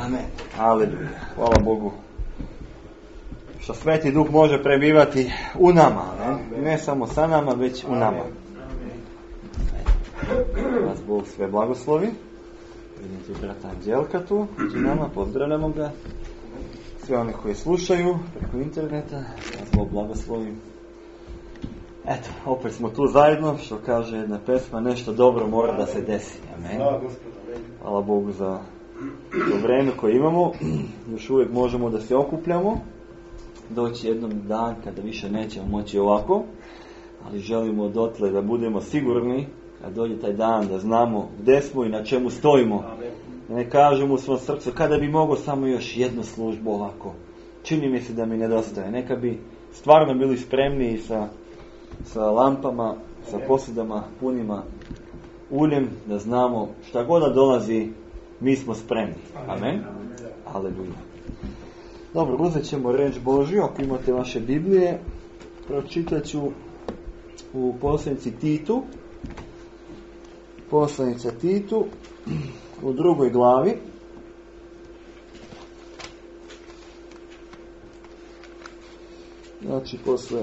Amen. Aleluja. Hvala Bogu. Što Sveti Duh može prebivati u nama. Ne samo sa nama, već u nama. Vas Bog sve blagoslovi. Vidite brata Anđelka tu, među nama, pozdravljamo ga. Sve oni koji slušaju preko interneta, vas Bog blagoslovi. Eto, opet smo tu zajedno, što kaže jedna pesma, nešto dobro mora da se desi. Amen. Hvala Bogu za to vreme koje imamo. Još uvijek možemo da se okupljamo. Doći jednom dan kada više nećemo moći ovako, ali želimo dotle da budemo sigurni kad dođe taj dan da znamo gdje smo i na čemu stojimo. Da ne kažemo u svom srcu kada bi mogao samo još jednu službu ovako. Čini mi se da mi nedostaje. Neka bi stvarno bili spremni sa lampama, sa posudama punima uljem, da znamo šta god da dolazi, mi smo spremni. Amen. Aleluja. Dobro, uzet ćemo riječ Božju. Ako imate vaše Biblije, pročitat ću u poslanici Titu. Poslanica Titu u 2. glavi. Znači, posle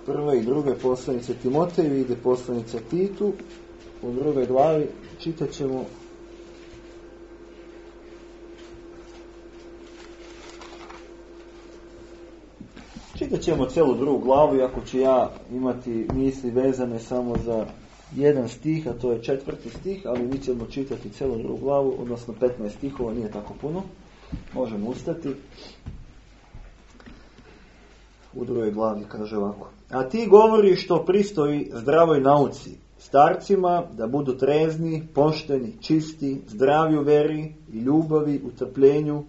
1. i 2. poslanice Timoteju ide poslanica Titu u 2. glavi. Čitat ćemo celu 2. glavu, iako ću ja imati misli vezane samo za jedan stih, a to je 4. stih, ali mi ćemo čitati celu 2. glavu, odnosno 15 stihova, nije tako puno. Možemo ustati. U 2. glavi kaže ovako: a ti govori što pristoji zdravoj nauci, starcima da budu trezni, pošteni, čisti, zdravi u veri i ljubavi, u trpljenju,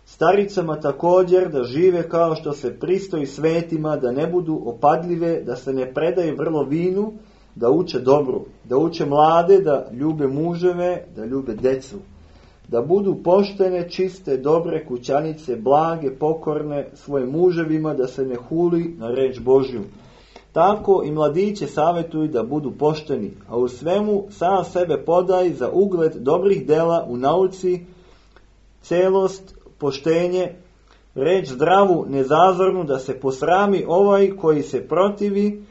staricama također da žive kao što se pristoji svetima, da ne budu opadljive, da se ne predaju vrlo vinu, da uče dobro, da uče mlade, da ljube muževe, da ljube decu, da budu poštene, čiste, dobre kućanice, blage, pokorne svojim muževima, da se ne huli na reč Božju. Tako i mladiće savjetuju da budu pošteni, a u svemu sam sebe podaj za ugled dobrih dela u nauci, celost, poštenje, reč zdravu, nezazornu, da se posrami ovaj koji se protivi,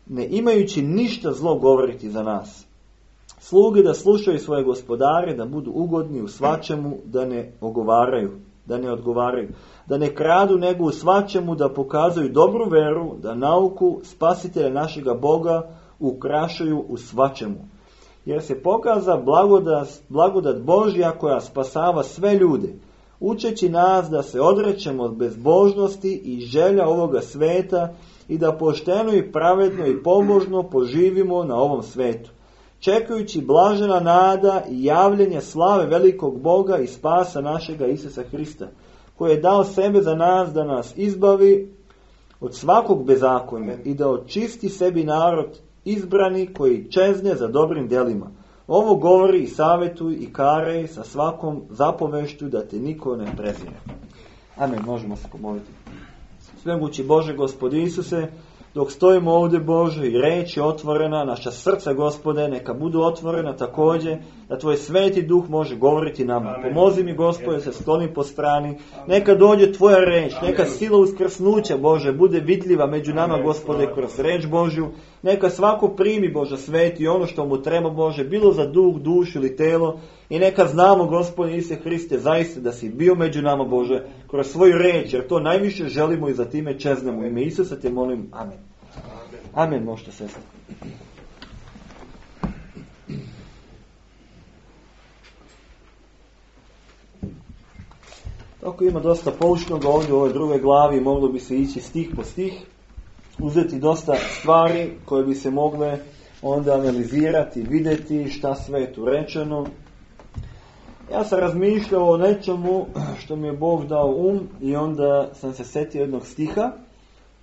ne imajući ništa zlo govoriti za nas. Sluge da slušaju svoje gospodare, da budu ugodni u svačemu, da ne odgovaraju, da ne kradu, nego u svačemu da pokazuju dobru veru, da nauku spasitelja našega Boga ukrašaju u svačemu. Jer se pokaza blagodat Božja koja spasava sve ljude, učeći nas da se odrećemo od bezbožnosti i želja ovoga sveta i da pošteno i pravedno i pobožno poživimo na ovom svetu, čekajući blažena nada i javljenje slave velikog Boga i spasa našega Isusa Hrista, koji je dao sebe za nas da nas izbavi od svakog bezakonja i da očisti sebi narod izbrani koji čezne za dobrim djelima. Ovo govori i savjetuj i karej sa svakom zapovešću da te niko ne prezire. Amen, možemo se pomoliti. Svemogući Bože, Gospodi Isuse, dok stojimo ovdje, Bože, i reč je otvorena, naša srca, Gospode, neka budu otvorena također, da Tvoj Sveti Duh može govoriti nama. Pomozi mi, Gospode, se skloni po strani, neka dođe Tvoja reč, neka sila uskrsnuća, Bože, bude vidljiva među nama, Gospode, kroz reč Božju, neka svako primi, Bože, Sveti, ono što mu treba, Bože, bilo za duh, dušu ili telo, i neka znamo, Gospodine Isuse Hriste, zaista da si bio među nama, Bože, kroz svoju reč, jer to najviše želimo i za time čeznemo. U ime Isusa te molim, amen. Amen, možete sestra. Tako ima dosta poučnog ovdje u ovoj 2. glavi, moglo bi se ići stih po stih, uzeti dosta stvari koje bi se mogle onda analizirati, vidjeti šta sve je tu rečeno. Ja sam razmišljao o nečemu što mi je Bog dao i onda sam se setio jednog stiha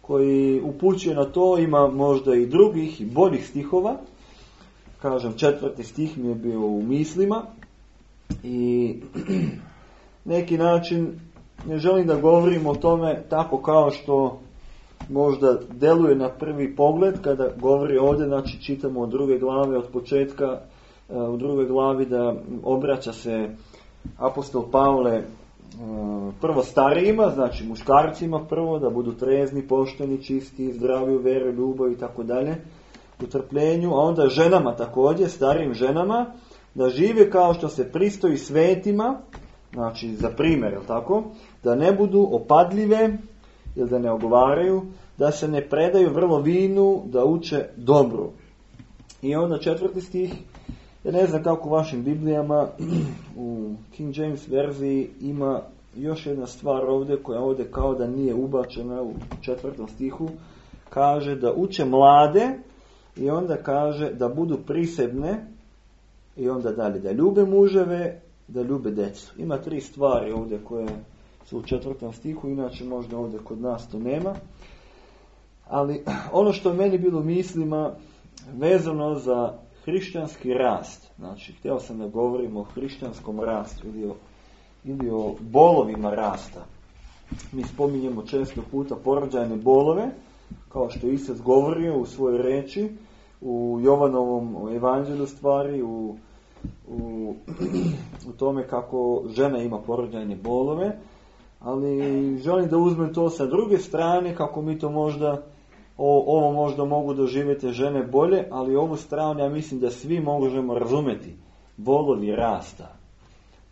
koji upućuje na to, ima možda i drugih i boljih stihova. Kažem, 4. stih mi je bio u mislima i neki način ne želim da govorim o tome tako kao što možda deluje na prvi pogled kada govori ovdje, znači čitamo od 2. glave od početka, u 2. glavi da obraća se apostol Pavle prvo starijima, znači muškarcima prvo, da budu trezni, pošteni, čisti, zdravi u veri, ljubavi i tako dalje, u trpljenju, a onda ženama također, starijim ženama, da žive kao što se pristoji svetima, znači za primjer, tako, da ne budu opadljive ili da ne ogovaraju, da se ne predaju vrlo vinu, da uče dobru. I onda 4. stih, ja ne znam kako u vašim Biblijama, u King James verziji ima još jedna stvar ovdje, koja ovdje kao da nije ubačena u 4. stihu, kaže da uče mlade i onda kaže da budu prisebne i onda dalje, da ljube muževe, da ljube djecu. Ima 3 stvari ovdje koje su u 4. stihu, inače možda ovdje kod nas to nema. Ali ono što je meni bilo u mislima vezano za hrišćanski rast, znači htio sam da govorimo o hrišćanskom rastu ili o bolovima rasta. Mi spominjemo često puta porođajne bolove, kao što je Isus govorio u svojoj reči, u Jovanovom evanđelju stvari, u tome kako žena ima porođajne bolove, ali želim da uzmem to sa druge strane, kako mi to možda, ovo možda mogu doživjeti žene bolje, ali ovu stranu ja mislim da svi možemo razumjeti. Bolovi rasta.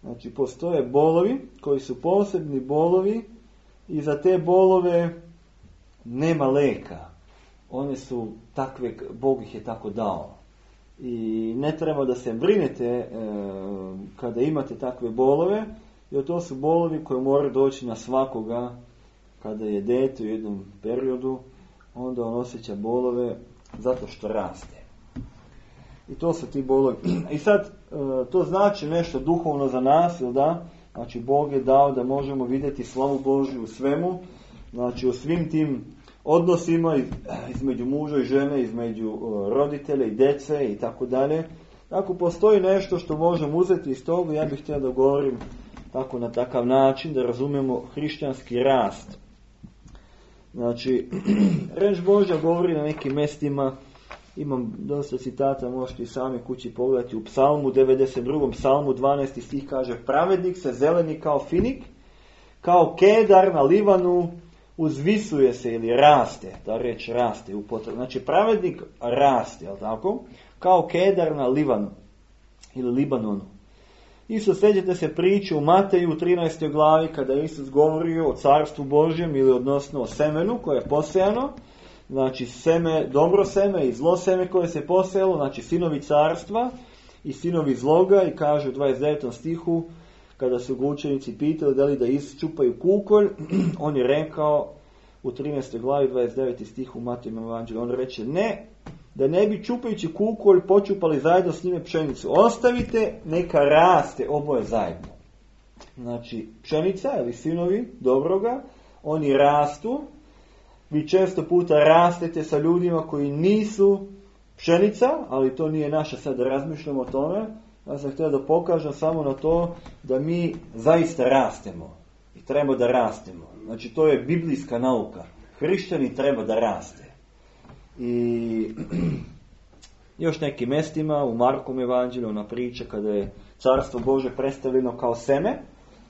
Znači postoje bolovi koji su posebni bolovi i za te bolove nema leka. One su takve, Bog ih je tako dao. I ne treba da se brinete kada imate takve bolove, jer to su bolovi koji moraju doći na svakoga kada je dete u jednom periodu, onda on osjeća bolove zato što raste. I to su ti bolovi. I sad, to znači nešto duhovno za nas, ili da? Znači, Bog je dao da možemo vidjeti slavu Božju u svemu, znači u svim tim odnosima između muža i žene, između roditelja i djece i tako dalje. Ako postoji nešto što možemo uzeti iz toga, ja bih htio da govorim tako na takav način, da razumijemo hrišćanski rast. Znači, reč Božja govori na nekim mjestima, imam dosta citata, možete i sami kući pogledati, u psalmu 92. psalmu 12. stih kaže: pravednik se zeleni kao finik, kao kedar na Livanu, uzvisuje se ili raste, ta reč raste u potrebu. Znači, pravednik raste, jel tako? Kao kedar na Livanu ili Libanonu. Isto sjećate se priče u Mateju u 13. glavi kada je Isus govorio o carstvu Božjem ili odnosno o semenu koje je posejano. Znači seme, dobro seme i zlo seme koje se posejalo, znači sinovi carstva i sinovi zloga, i kaže u 29. stihu kada su ga učenici pitali da li da isčupaju kukolj, on je rekao u 13. glavi 29. stihu u Matejinom evanđelju, on reče ne, da ne bi čupajući kukolj počupali zajedno s njime pšenicu. Ostavite, neka raste oboje zajedno. Znači, pšenica ili sinovi dobroga, oni rastu. Vi često puta rastete sa ljudima koji nisu pšenica, ali to nije naše sad da razmišljamo o tome. Ja sam htio da pokažem samo na to da mi zaista rastemo. I treba da rastemo. Znači, to je biblijska nauka. Hrišćani treba da raste. I još nekim mjestima u Markom evanđelju ona priča kada je carstvo Bože predstavljeno kao seme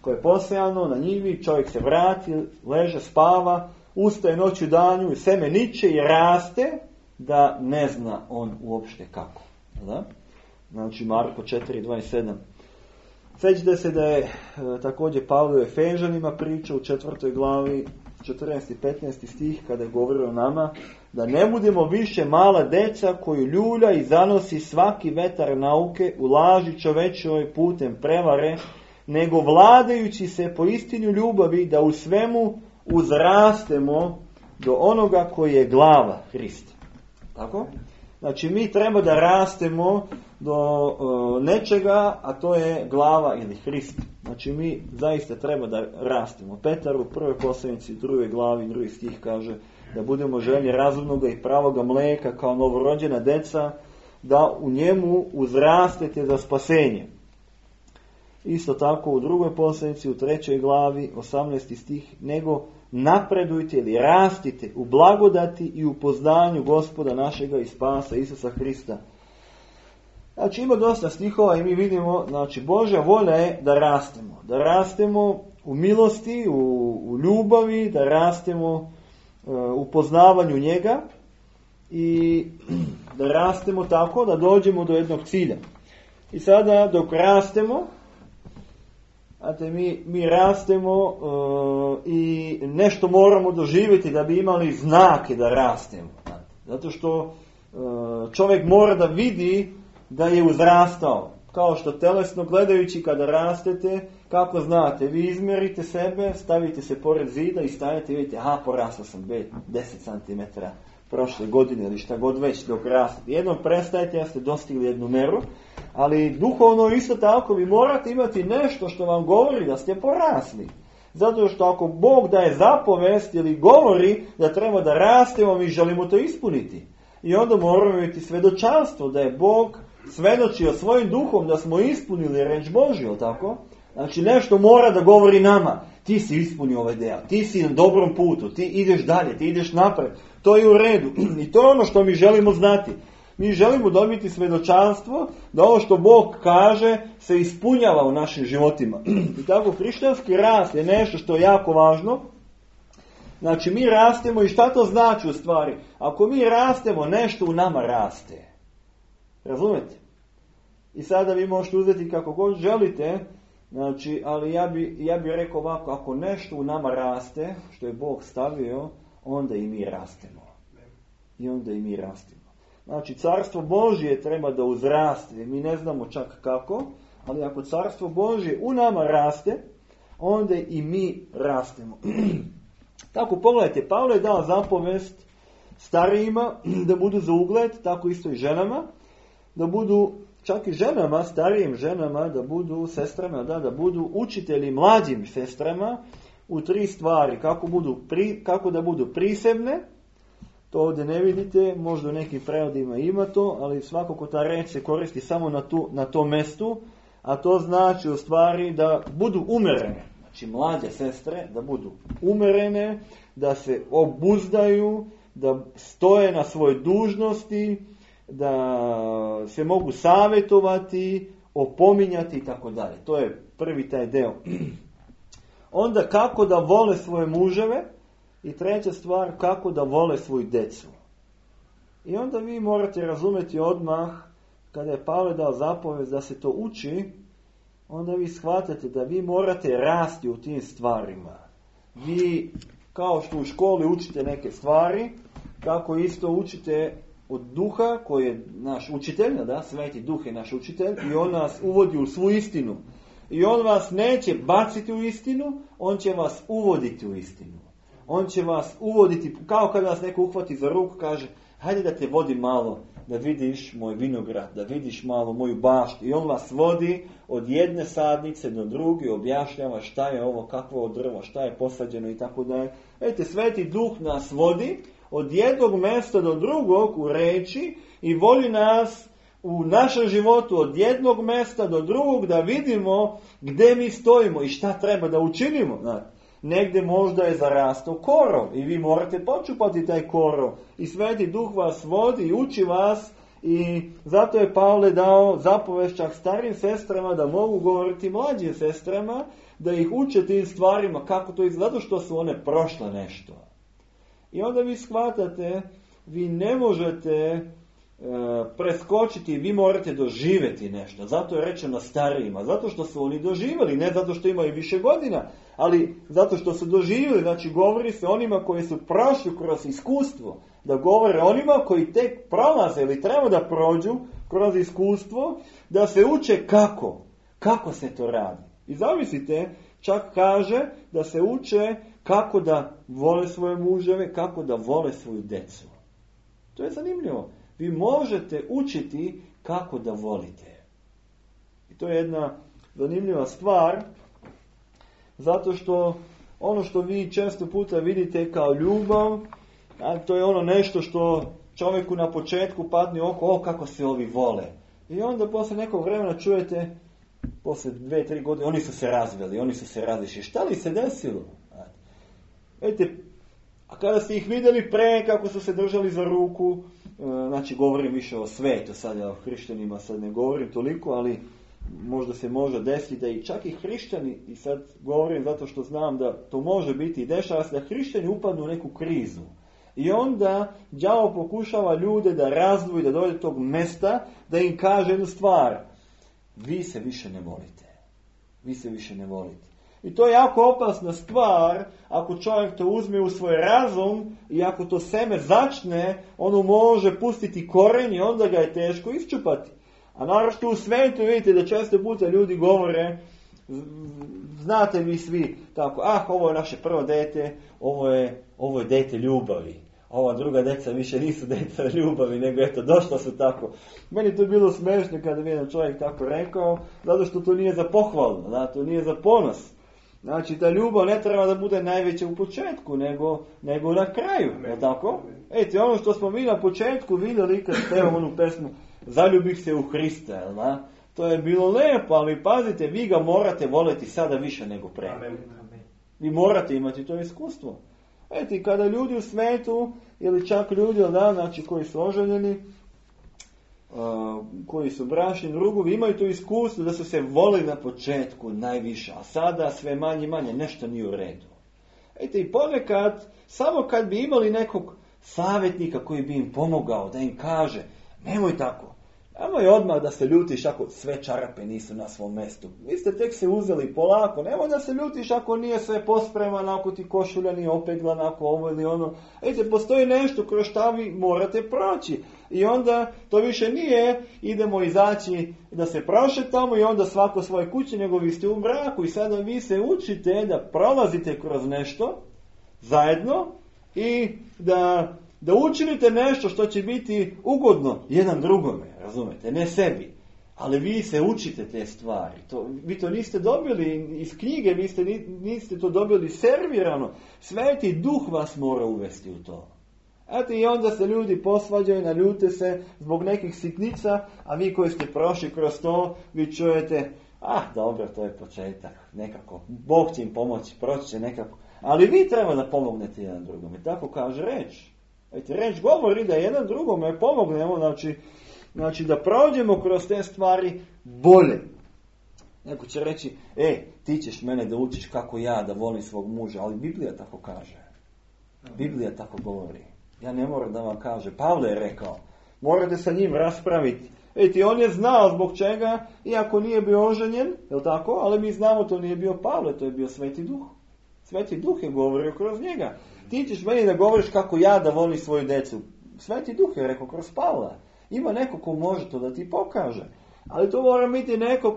koje je posejano na njivi, čovjek se vrati, leže, spava, ustaje noću danju i seme niče i raste da ne zna on uopšte kako. Da? Znači Marko 4:27. Sjećate se da je također Pavle u Efežanima priča u 4. glavi 14. i 15. stih kada je govorio o nama da ne budemo više mala deca koju ljulja i zanosi svaki vetar nauke u laži čovečoj putem prevare, nego vladajući se po istinu ljubavi da u svemu uzrastemo do onoga koji je glava, Hrist. Tako? Znači mi treba da rastemo do nečega, a to je glava ili Hrist. Znači mi zaista treba da rastemo. Petar u 1. poslanici 2. glavi 2. stih kaže da budemo željni razumnoga i pravoga mleka kao novorođena deca, da u njemu uzrastete za spasenje. Isto tako u 2. poslanici u 3. glavi 18. stih, nego napredujte ili rastite u blagodati i u poznanju Gospoda našega i spasa Isusa Hrista. Znači ima dosta stihova i mi vidimo, znači Božja volja je da rastemo. Da rastemo u milosti, u ljubavi, da rastemo u poznavanju njega i da rastemo tako da dođemo do jednog cilja. I sada dok rastemo, mi rastemo i nešto moramo doživjeti da bi imali znake da rastemo. Zato što čovjek mora da vidi da je uzrastao. Kao što telesno gledajući kada rastete, kako znate, vi izmjerite sebe, stavite se pored zida i stavite i vidite, porastao sam 10 cm prošle godine ili šta god već dok rastete. Jednom prestajete, ja ste dostigli jednu meru, ali duhovno isto tako vi morate imati nešto što vam govori da ste porasli. Zato što ako Bog daje zapovest ili govori da treba da rastemo, mi želimo to ispuniti. I onda moramo imati svedočanstvo da je Bog svedočio svojim duhom da smo ispunili reč Božju, tako? Znači nešto mora da govori nama. Ti si ispunio ovaj deo, ti si na dobrom putu, ti ideš dalje, ti ideš napred. To je u redu. I to je ono što mi želimo znati. Mi želimo dobiti svedočanstvo da ovo što Bog kaže se ispunjava u našim životima. I tako hrišćanski rast je nešto što je jako važno. Znači mi rastemo i šta to znači u stvari? Ako mi rastemo, nešto u nama raste. Razumete? I sada vi možete uzeti kako god želite, znači, ali ja bi rekao ovako, ako nešto u nama raste, što je Bog stavio, onda i mi rastemo. I onda i mi rastemo. Znači, carstvo Božje treba da uzraste, mi ne znamo čak kako, ali ako carstvo Božje u nama raste, onda i mi rastemo. Tako, pogledajte, Pavle je dao zapovest starijima da budu za ugled, tako isto i ženama, da budu, čak i ženama, starijim ženama, da budu sestrama, da budu učitelji mlađim sestrama u 3 stvari. Kako da budu prisebne, to ovdje ne vidite, možda u nekim prevodima ima to, ali svakako ta reč se koristi samo na tom mjestu, a to znači u stvari da budu umerene. Znači mlađe sestre da budu umerene, da se obuzdaju, da stoje na svojoj dužnosti, da se mogu savjetovati, opominjati i tako dalje. To je prvi taj deo. Onda kako da vole svoje muževe i treća stvar kako da vole svoju decu. I onda vi morate razumjeti odmah kada je Pavle dao zapovest da se to uči, onda vi shvatate da vi morate rasti u tim stvarima. Vi kao što u školi učite neke stvari, kako isto učite od duha koji je naš učitelj, Sveti Duh je naš učitelj i on nas uvodi u svu istinu. I on vas neće baciti u istinu, on će vas uvoditi u istinu. On će vas uvoditi, kao kada vas neko uhvati za ruku, kaže, hajde da te vodi malo, da vidiš moj vinograd, da vidiš malo moju baštu. I on vas vodi od jedne sadnice do druge, objašnjava šta je ovo, kakvo drvo, šta je posađeno i tako dalje. Vidite, Sveti Duh nas vodi od jednog mjesta do drugog u reči i voli nas u našem životu od jednog mjesta do drugog da vidimo gdje mi stojimo i šta treba da učinimo. Negdje možda je zarastao korov i vi morate počupati taj korov i Sveti Duh vas vodi i uči vas i zato je Pavle dao zapovest čak starim sestrama da mogu govoriti mlađim sestrama, da ih uče tim stvarima kako to izgleda, zato što su one prošle nešto. I onda vi shvatate, vi ne možete preskočiti, vi morate doživjeti nešto. Zato je rečeno starijima, zato što su oni doživjeli, ne zato što imaju više godina, ali zato što su doživjeli, znači govori se onima koji su prošli kroz iskustvo, da govore onima koji tek prolaze ili treba da prođu kroz iskustvo, da se uče kako se to radi. I zamislite, čak kaže da se uče kako da vole svoje muževe, kako da vole svoju decu. To je zanimljivo. Vi možete učiti kako da volite. I to je jedna zanimljiva stvar, zato što ono što vi često puta vidite kao ljubav, to je ono nešto što čovjeku na početku padne oko, kako se ovi vole. I onda posle nekog vremena čujete, posle 2-3 godine, oni su se razveli, oni su se razišli. Šta li se desilo? Vidite, A kada ste ih vidjeli pre kako su se držali za ruku, znači govorim više o svetu, sad ja o hrišćanima sad ne govorim toliko, ali možda se može desiti da i čak i hrišćani, i sad govorim zato što znam da to može biti i dešava se da hrišćani upadnu u neku krizu. I onda đavo pokušava ljude da razdvoji, da dođe do tog mesta, da im kaže jednu stvar. Vi se više ne volite. Vi se više ne volite. I to je jako opasna stvar, ako čovjek to uzme u svoj razum i ako to seme začne, ono može pustiti koren i onda ga je teško isčupati. A naravno u svetu vidite da često puta ljudi govore, znate vi svi tako, ovo je naše prvo dete, ovo je dete ljubavi. Ova druga deca više nisu deca ljubavi, nego eto, došla su tako. Meni to je bilo smešno kada mi jedan čovjek tako rekao, zato što to nije za pohvalu, to nije za ponos. Znači, ta ljubav ne treba da bude najveća u početku, nego na kraju, je tako? Ejte, ono što smo mi na početku vidjeli kad pevamo onu pesmu Zaljubih se u Hrista, jel da? To je bilo lepo, ali pazite, vi ga morate voljeti sada više nego pre. Vi morate imati to iskustvo. Ejte, kada ljudi u svetu, ili čak ljudi, znači koji su oženjeni, koji su bračni drugovi, imaju to iskustvo da su se volili na početku najviše, a sada sve manje i manje, nešto nije u redu. Ejte, i ponekad, samo kad bi imali nekog savjetnika koji bi im pomogao, da im kaže, nemoj tako, nemoj odmah da se ljutiš ako sve čarape nisu na svom mjestu. Vi ste tek se uzeli polako, nemoj da se ljutiš ako nije sve pospremano, ako ti košulja nije opeglana, ako ovo ili ono. Ejte, postoji nešto kroz šta vi morate proći. I onda to više nije, idemo izaći da se prošetamo i onda svako svoje kuće, nego vi ste u braku i sada vi se učite da prolazite kroz nešto zajedno i da učinite nešto što će biti ugodno jedan drugome, razumete, ne sebi. Ali vi se učite te stvari. Vi to niste dobili iz knjige, niste to dobili servirano. Sveti Duh vas mora uvesti u to. Eto, i onda se ljudi posvađaju, naljute se zbog nekih sitnica, a vi koji ste prošli kroz to, vi čujete, dobro, to je početak, nekako, Bog će im pomoći, proći će nekako. Ali vi treba da pomognete jedan drugom. I tako kaže reč. Reč govori da jedan drugome pomognemo, znači da prođemo kroz te stvari bolje. Neko će reći, ti ćeš mene da učiš kako ja da volim svog muža, ali Biblija tako kaže. Biblija tako govori. Ja ne moram da vam kaže. Pavle je rekao, morate sa njim raspraviti. On je znao zbog čega, iako nije bio oženjen, je tako? Ali mi znamo, to nije bio Pavle, to je bio Sveti Duh. Sveti Duh je govorio kroz njega. Ti ćeš meni da govoriš kako ja da volim svoju decu. Sveti Duh je rekao kroz Pavla. Ima neko ko može to da ti pokaže. Ali to mora biti neko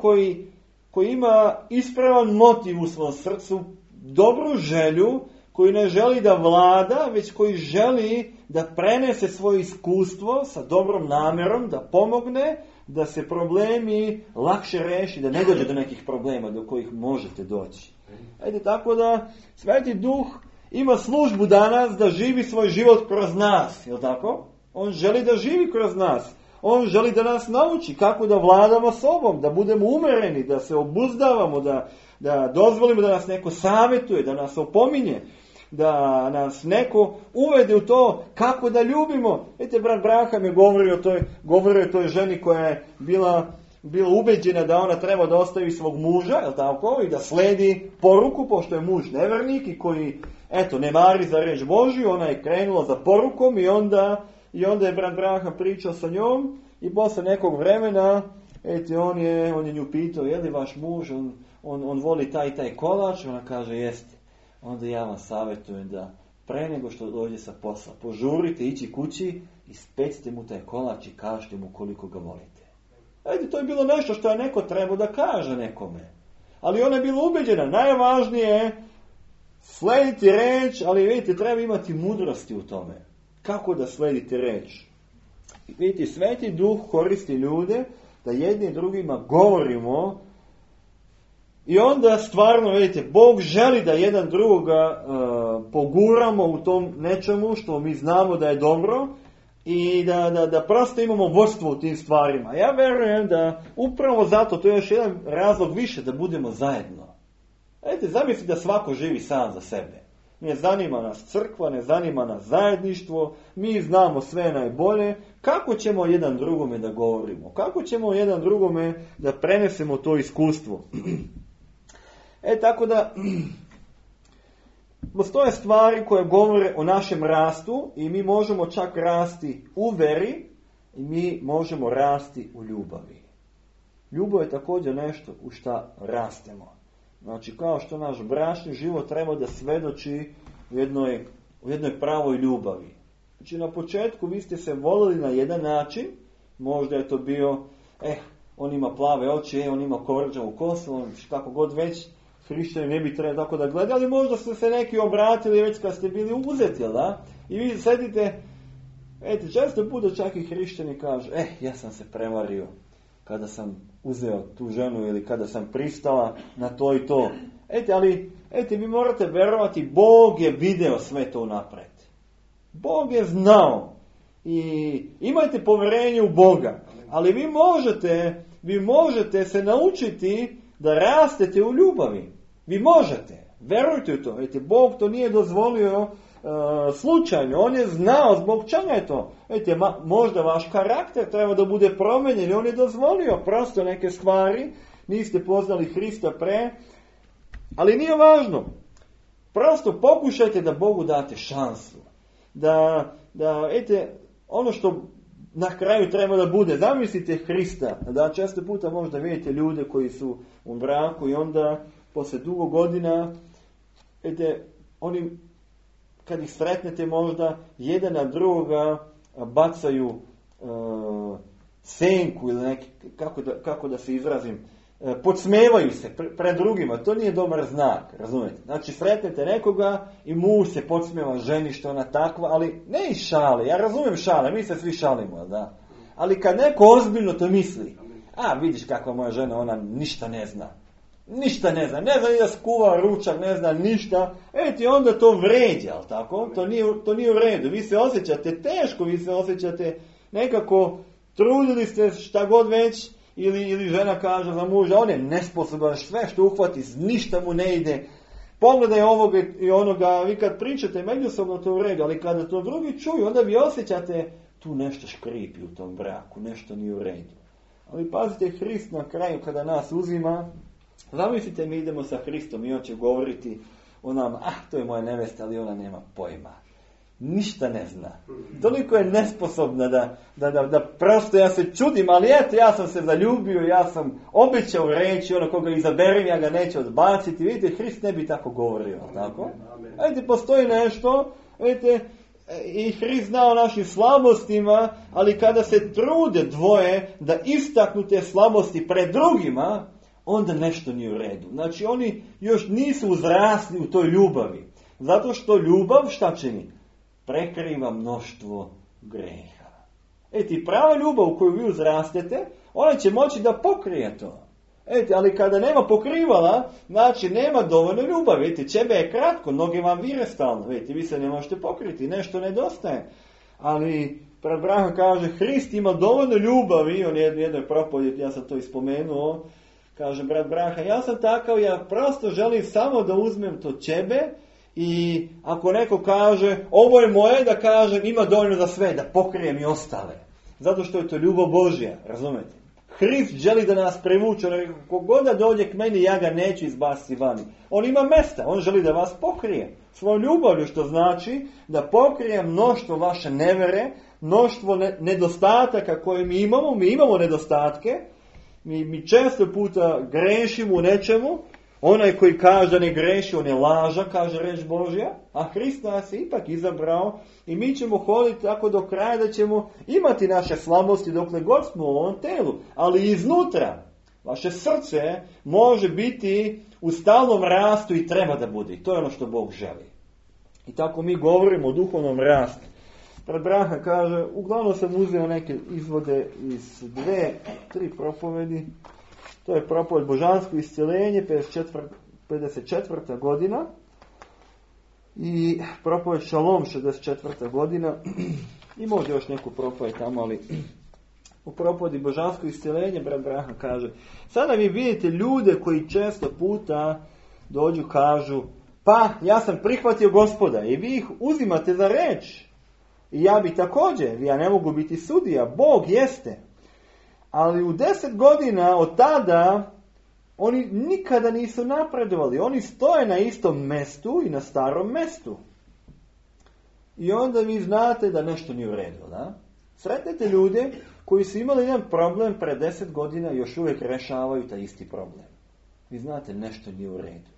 koji ima ispravan motiv u svom srcu, dobru želju, koji ne želi da vlada, već koji želi da prenese svoje iskustvo sa dobrom namjerom, da pomogne, da se problemi lakše reši, da ne dođe do nekih problema do kojih možete doći. Tako da Sveti Duh ima službu danas da živi svoj život kroz nas, je li tako? On želi da živi kroz nas. On želi da nas nauči kako da vladamo sobom, da budemo umereni, da se obuzdavamo, da dozvolimo da nas neko savjetuje, da nas opominje, da nas neko uvede u to kako da ljubimo. Brat Braham je govorio o toj ženi koja je bila ubeđena da ona treba da ostavi svog muža, je li tako? I da sledi poruku, pošto je muž nevernik i koji, ne mari za reč Božju, ona je krenula za porukom i onda je brat Braham pričao sa njom i posle nekog vremena, on je nju pitao, je li vaš muž, on voli taj kolač, ona kaže, jeste. Onda ja vam savjetujem da pre nego što dođe sa posla, požurite ići kući i specite mu taj kolač i kažete mu koliko ga volite. To je bilo nešto što je neko trebao da kaže nekome. Ali ona je bila ubeđena, najvažnije je slediti reč, ali vidite, treba imati mudrosti u tome. Kako da sledite reč? Vidite, Sveti Duh koristi ljude da jedni drugima govorimo i onda stvarno, vidite, Bog želi da jedan drugoga poguramo u tom nečemu što mi znamo da je dobro i da prosto imamo vodstvo u tim stvarima. Ja verujem da upravo zato, to je još jedan razlog više da budemo zajedno. Zamislite da svako živi sam za sebe. ne zanima nas crkva, ne zanima nas zajedništvo, mi znamo sve najbolje, kako ćemo jedan drugome da govorimo? Kako ćemo jedan drugome da prenesemo to iskustvo? Tako da, postoje stvari koje govore o našem rastu i mi možemo čak rasti u veri i mi možemo rasti u ljubavi. Ljubav je također nešto u šta rastemo. Znači, kao što naš bračni život treba da svedoči u jednoj pravoj ljubavi. Znači, na početku vi ste se volili na jedan način, možda je to bio, on ima plave oči, on ima kovrđavu kosu, kako god već, hrišćani ne bi trebali tako da gledali, ali možda su se neki obratili već kad ste bili uzeti, jel da? I vi sedite, često puta čak i hrišćani kažu, ja sam se prevario kada sam uzeo tu ženu ili kada sam pristala na to i to. Ali vi morate verovati, Bog je video sve to napred. Bog je znao i imajte povjerenje u Boga, ali vi možete se naučiti da rastete u ljubavi. Vi možete, verujte u to. Bog to nije dozvolio slučajno, on je znao zbog čega je to. Možda vaš karakter treba da bude promenjen i on je dozvolio prosto neke stvari, niste poznali Hrista pre, ali nije važno. Prosto pokušajte da Bogu date šansu. Da ono što na kraju treba da bude, zamislite Hrista, da često puta možda vidite ljude koji su u braku i onda posle dugo godina, oni kad ih sretnete možda jedan na drugoga bacaju senku ili neki, kako da se izrazim, podsmevaju se pred drugima, to nije dobar znak, razumijete? Znači sretnete nekoga i muž se podsmeva ženi što ona takva, ali ne iz šale, ja razumijem šale, mi se svi šalimo, da? Ali kad neko ozbiljno to misli, vidiš kakva moja žena, ona ništa ne zna ni da skuva ručak, ne zna ništa, onda to vređa, ali tako? To nije u redu, vi se osjećate teško, vi se osjećate nekako, trudili ste šta god već, ili žena kaže za muža, on je nesposoban, sve što uhvati, ništa mu ne ide, pogledaj ovoga i onoga, vi kad pričate međusobno to u redu, ali kada to drugi čuju, onda vi osjećate tu nešto škripi u tom braku, nešto nije u redu. Ali pazite, Hrist na kraju kada nas uzima, zamislite, mi idemo sa Hristom i on će govoriti o nama, to je moja nevesta, ali ona nema pojma. Ništa ne zna. Toliko je nesposobna da prosto ja se čudim, ali ja sam se zaljubio, ja sam obećao reći, koga izaberem, ja ga neću odbaciti. Vidite, Hrist ne bi tako govorio, tako? Postoji nešto, i Hrist zna o našim slabostima, ali kada se trude dvoje da istaknu te slabosti pred drugima, onda nešto nije u redu. Znači, oni još nisu uzrasli u toj ljubavi. Zato što ljubav šta čini? Prekriva mnoštvo greha. Prava ljubav u koju vi uzrastete, ona će moći da pokrije to. Ali kada nema pokrivala, znači nema dovoljno ljubavi. Čebe je kratko, noge vam vire stalno. Vi se ne možete pokriti, nešto nedostaje. Ali brat Branham kaže, Hrist ima dovoljno ljubavi, on je jednoj propovjedi, ja sam to ispomenuo, kaže brat Branham, ja sam takav, ja prosto želim samo da uzmem to ćebe i ako neko kaže, ovo je moje, da kažem, ima dovoljno za sve, da pokrijem i ostale. Zato što je to ljubav Božja, razumete? Hrist želi da nas privuče, kogod da dođe k meni, ja ga neću izbaciti vani. On ima mesta, on želi da vas pokrije svojom ljubavlju, što znači da pokrije mnoštvo vaše nevere, mnoštvo nedostataka koje mi imamo nedostatke, mi često puta grešimo u nečemu, onaj koji kaže da ne greši, on je laža, kaže reč Božja, a Hrist nas je ipak izabrao i mi ćemo hoditi tako do kraja da ćemo imati naše slabosti dokle god smo u ovom telu, ali iznutra vaše srce može biti u stalnom rastu i treba da bude. I to je ono što Bog želi. I tako mi govorimo o duhovnom rastu. Brat Branham kaže, uglavnom sam uzeo neke izvode iz 2-3 propovedi. To je propoved Božansko iscjeljenje, 54. godina. I propoved Šalom, 64. godina. I možda još neku propoved tamo, ali u propovedi Božansko iscjeljenje, brat Branham kaže, sada vi vidite ljude koji često puta dođu, kažu, pa ja sam prihvatio Gospoda i vi ih uzimate za reč. I ja bi također, ja ne mogu biti sudija, Bog jeste. Ali u 10 godina od tada oni nikada nisu napredovali. Oni stoje na istom mestu i na starom mestu. I onda vi znate da nešto nije u redu, da? Sretnete ljude koji su imali jedan problem pre 10 godina i još uvijek rešavaju taj isti problem. Vi znate, nešto nije u redu.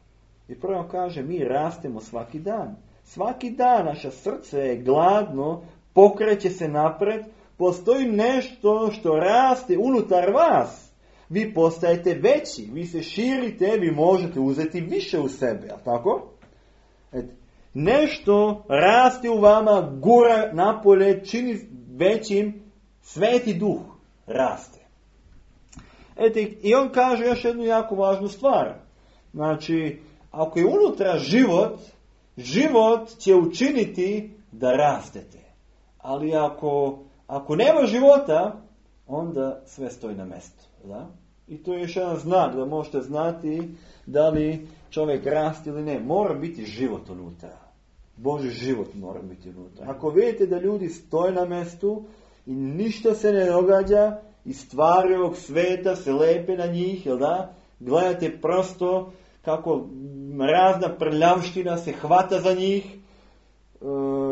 I prvo kaže, mi rastemo svaki dan. Svaki dan naše srce je gladno, pokreće se napred, postoji nešto što raste unutar vas. Vi postajete veći, vi se širite, vi možete uzeti više u sebe, jel tako? Nešto raste u vama, gura napolje, čini većim, Sveti Duh raste. I on kaže još jednu jako važnu stvar. Znači, ako je unutra život će učiniti da rastete. Ali ako nema života, onda sve stoji na mjestu. Da? I to je još jedan znak da možete znati da li čovjek raste ili ne. Mora biti život unutra. Božji život mora biti unutra. Ako vidite da ljudi stoje na mjestu i ništa se ne događa i stvari ovog sveta se lepe na njih, jel da? Gledate prosto kako razna prljavština se hvata za njih.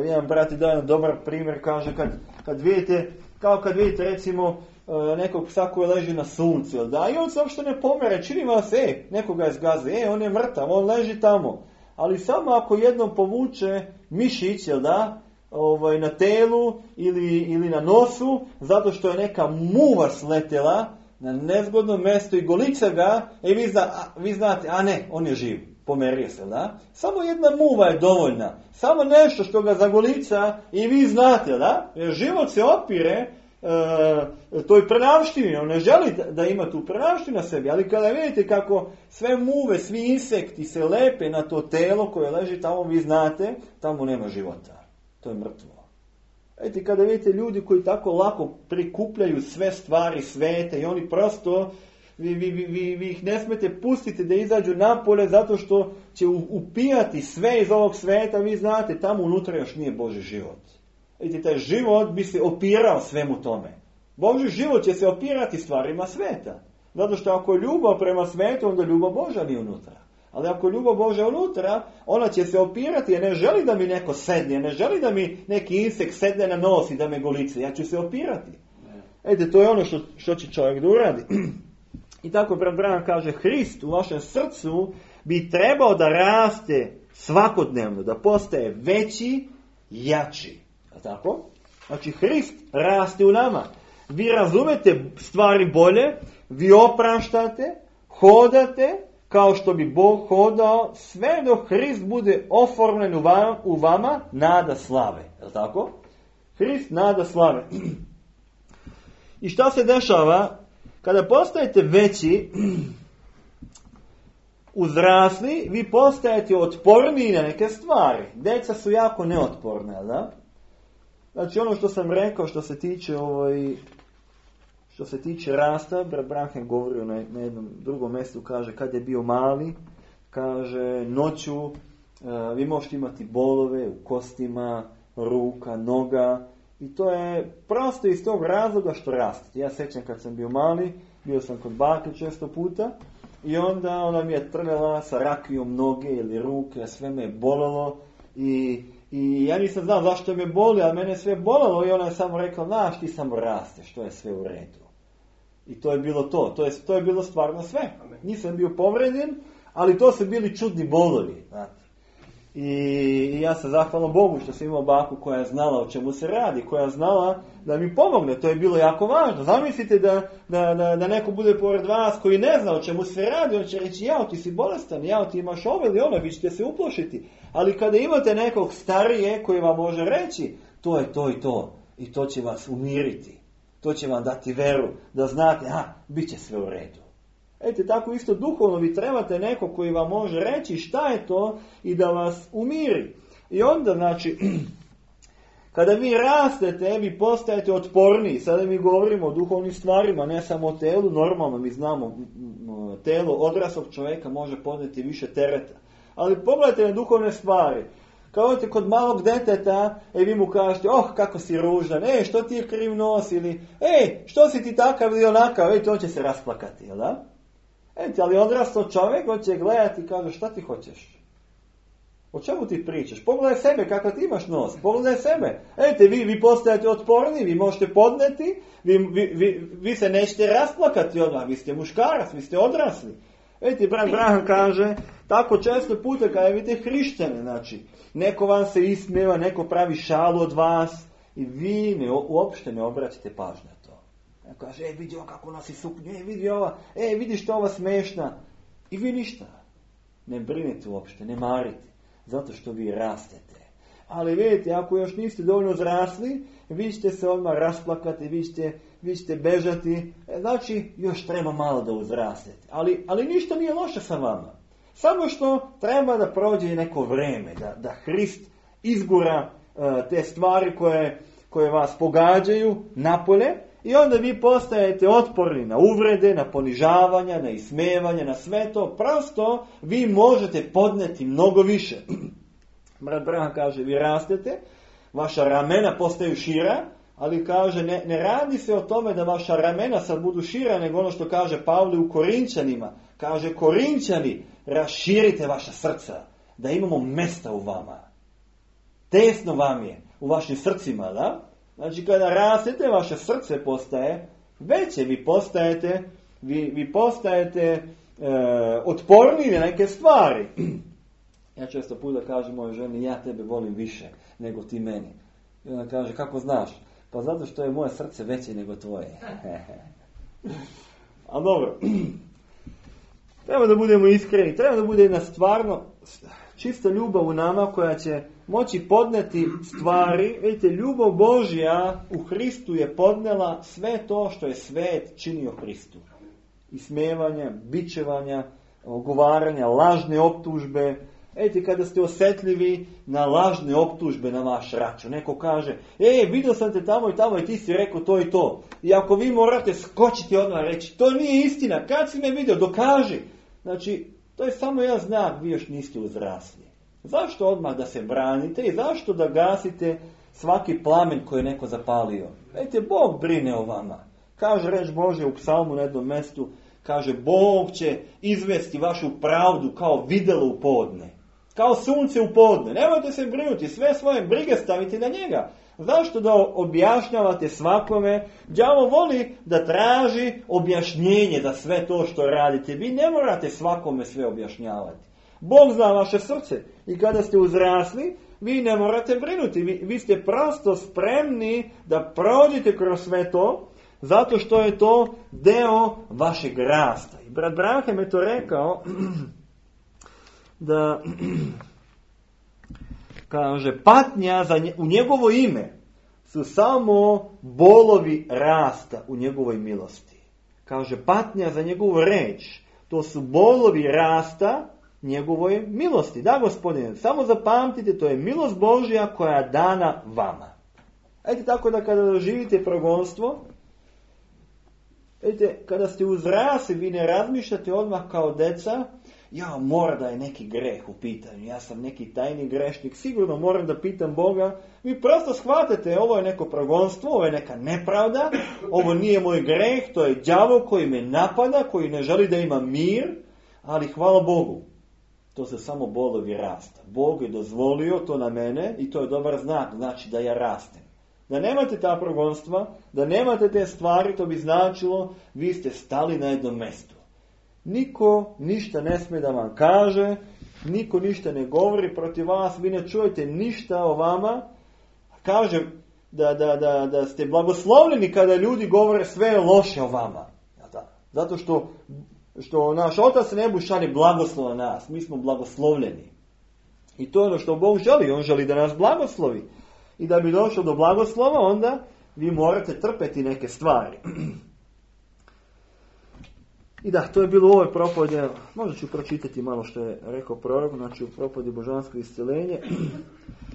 Jedan brat je dao jedan dobar primjer, kaže kad vidite, kao kad vidite recimo nekog psa koji leži na suncu, jel da? I on se uopšte ne pomere, čini vam se, nekoga je zgaze, on je mrtav, on leži tamo. Ali samo ako jednom povuče mišić, jel da, na telu ili na nosu, zato što je neka muva sletela na nezgodno mjesto i golica ga, i vi znate, a ne, on je živ, pomerio se, da? Samo jedna muva je dovoljna, samo nešto što ga zagolica i vi znate, da? Jer život se opire toj prenavštini, on ne želi da ima tu prenavštinu na sebi, ali kada vidite kako sve muve, svi insekti se lepe na to telo koje leži tamo, vi znate, tamo nema života. To je mrtvo. Vidite, kada vidite ljudi koji tako lako prikupljaju sve stvari sveta i oni prosto, vi ih ne smete pustiti da izađu napolje zato što će upijati sve iz ovog sveta, vi znate, tamo unutra još nije Božji život. Vidite, taj život bi se opirao svemu tome. Božji život će se opirati stvarima sveta. Zato što ako je ljubav prema svetu, onda ljubav Božja nije unutra. Ali ako je ljubav Božja unutra, ona će se opirati, jer ne želi da mi neko sedne, ne želi da mi neki insekt sedne na nos i da me golice. Ja ću se opirati. Vidite, to je ono što će čovjek da uradi. I tako brat Branham kaže, Hrist u vašem srcu bi trebao da raste svakodnevno, da postaje veći, jači. Tako? Znači, Hrist raste u nama. Vi razumete stvari bolje, vi opraštate, hodate, kao što bi Bog hodao, sve dok Hrist bude oformljen u vama, nada slave. Je li tako? Hrist nada slave. I šta se dešava? Kada postajete veći, uzrasli, vi postajete otporniji na neke stvari. Deca su jako neotporne, da? Znači ono što sam rekao što se tiče rasta, brat Branham govorio na jednom drugom mjestu, kaže kad je bio mali, kaže noću vi možete imati bolove u kostima, ruka, noga i to je prosto iz tog razloga što rastete. Ja sećam kad sam bio mali, bio sam kod bake često puta i onda ona mi je trljala sa rakijom noge ili ruke, sve me je bolelo i ja nisam znao zašto me boli, ali mene je sve bolelo i ona je samo rekla, znaš ti samo rasteš, to je sve u redu. I to je bilo to je bilo stvarno sve. Nisam bio povređen, ali to su bili čudni bolovi. Znate. I ja sam zahvalan Bogu što sam imao baku koja je znala o čemu se radi, koja je znala da mi pomogne, to je bilo jako važno. Zamislite da neko bude pored vas koji ne zna o čemu se radi, on će reći, jao ti si bolestan, jao ti imaš ovo ili ono, vi ćete se uplošiti. Ali kada imate nekog starije koji vam može reći, to je to i to, i to će vas umiriti, to će vam dati veru, da znate, bit će sve u redu. Ete, tako isto duhovno vi trebate neko koji vam može reći šta je to i da vas umiri. I onda, znači, kada vi rastete, vi postajete otporniji. Sada mi govorimo o duhovnim stvarima, ne samo o telu. Normalno mi znamo, telo odraslog čovjeka može podnijeti više tereta. Ali pogledajte na duhovne stvari. Kao te kod malog deteta, vi mu kažete, kako si ružan, što ti je kriv nos, ili, što si ti takav ili onakav, on će se rasplakati, jel da? Ali odrastao čovjek, on će gledati i kaže, šta ti hoćeš? O čemu ti pričaš? Pogledaj sebe, kakav ti imaš nos, pogledaj sebe. Vi postajete otporni, vi možete podneti, vi se nećete rasplakati odmah, vi ste muškarac, vi ste odrasli. Brat Branham kaže, tako često puta kada vidite hrišćane, znači, neko vam se ismijeva, neko pravi šalu od vas i vi uopšte ne obraćate pažnju na to. Kaže, vidi ova kako nosi suknju, vidi ova, vidi što ova smešna. I vi ništa. Ne brinite uopšte, ne marite, zato što vi rastete. Ali vidite, ako još niste dovoljno zrasli, vi ćete se odmah rasplakati, vi ćete bežati, znači još treba malo da uzrastete. Ali ništa nije loše sa vama. Samo što treba da prođe neko vreme, da Hrist izgura te stvari koje vas pogađaju napolje i onda vi postajete otporni na uvrede, na ponižavanja, na ismevanje, na sve to. Prosto vi možete podneti mnogo više. Brat Branham kaže, vi rastete, vaša ramena postaju šira, ali kaže, ne radi se o tome da vaša ramena sad budu šira, nego ono što kaže Pavle u Korinčanima. Kaže, Korinčani, raširite vaša srca, da imamo mesta u vama. Tesno vam je u vašim srcima, da? Znači, kada rastete, vaše srce postaje veće, vi postajete otporniji na neke stvari. Ja često puta kažem mojoj ženi, ja tebe volim više nego ti meni. I ona kaže, kako znaš? Pa zato što je moje srce veće nego tvoje. A dobro, treba da budemo iskreni, treba da bude jedna stvarno čista ljubav u nama koja će moći podneti stvari. Vidite, ljubav Božja u Hristu je podnela sve to što je svet činio Hristu. Ismevanja, bičevanja, ogovaranja, lažne optužbe. Kada ste osjetljivi na lažne optužbe na vaš račun. Neko kaže, vidio sam te tamo i tamo i ti si rekao to i to. I ako vi morate skočiti odmah reći, to nije istina, kad si me vidio, dokaži. Znači, to je samo jedan znak, vi još niste uzrasli. Zašto odmah da se branite i zašto da gasite svaki plamen koji je neko zapalio? Bog brine o vama. Kaže reč Božja u psalmu na jednom mjestu, kaže, Bog će izvesti vašu pravdu kao videlo u podne. Kao sunce u podne. Nemojte se brinuti, sve svoje brige stavite na njega. Zašto da objašnjavate svakome? Đavo voli da traži objašnjenje za sve to što radite. Vi ne morate svakome sve objašnjavati. Bog zna vaše srce. I kada ste uzrasli, vi ne morate brinuti. Vi ste prosto spremni da prođete kroz sve to, zato što je to deo vašeg rasta. I brat Branham je to rekao, da kaže, patnja u njegovo ime su samo bolovi rasta u njegovoj milosti. Kaže, patnja za njegovu reč, to su bolovi rasta njegovoj milosti. Da, Gospodine, samo zapamtite, to je milost Božja koja je dana vama. Tako da kada doživite progonstvo, kada ste uzrasli, vi ne razmišljate odmah kao deca, mora da je neki greh u pitanju, ja sam neki tajni grešnik, sigurno moram da pitam Boga. Vi prosto shvatate, ovo je neko progonstvo, ovo je neka nepravda, ovo nije moj greh, to je đavo koji me napada, koji ne želi da ima mir, ali hvala Bogu, to se samo bolovi rasta. Bog je dozvolio to na mene i to je dobar znak, znači da ja rastem. Da nemate ta progonstva, da nemate te stvari, to bi značilo, vi ste stali na jednom mjestu. Niko ništa ne smije da vam kaže, niko ništa ne govori protiv vas, vi ne čujete ništa o vama. Kaže da ste blagoslovljeni kada ljudi govore sve loše o vama. Zato što naš Otac nebu šalje blagoslov na nas, mi smo blagoslovljeni. I to je ono što Bog želi, on želi da nas blagoslovi. I da bi došlo do blagoslova, onda vi morate trpeti neke stvari. I da, to je bilo u ovoj propovedi. Možda ću pročitati malo što je rekao prorok, znači u propovedi božansko isceljenje.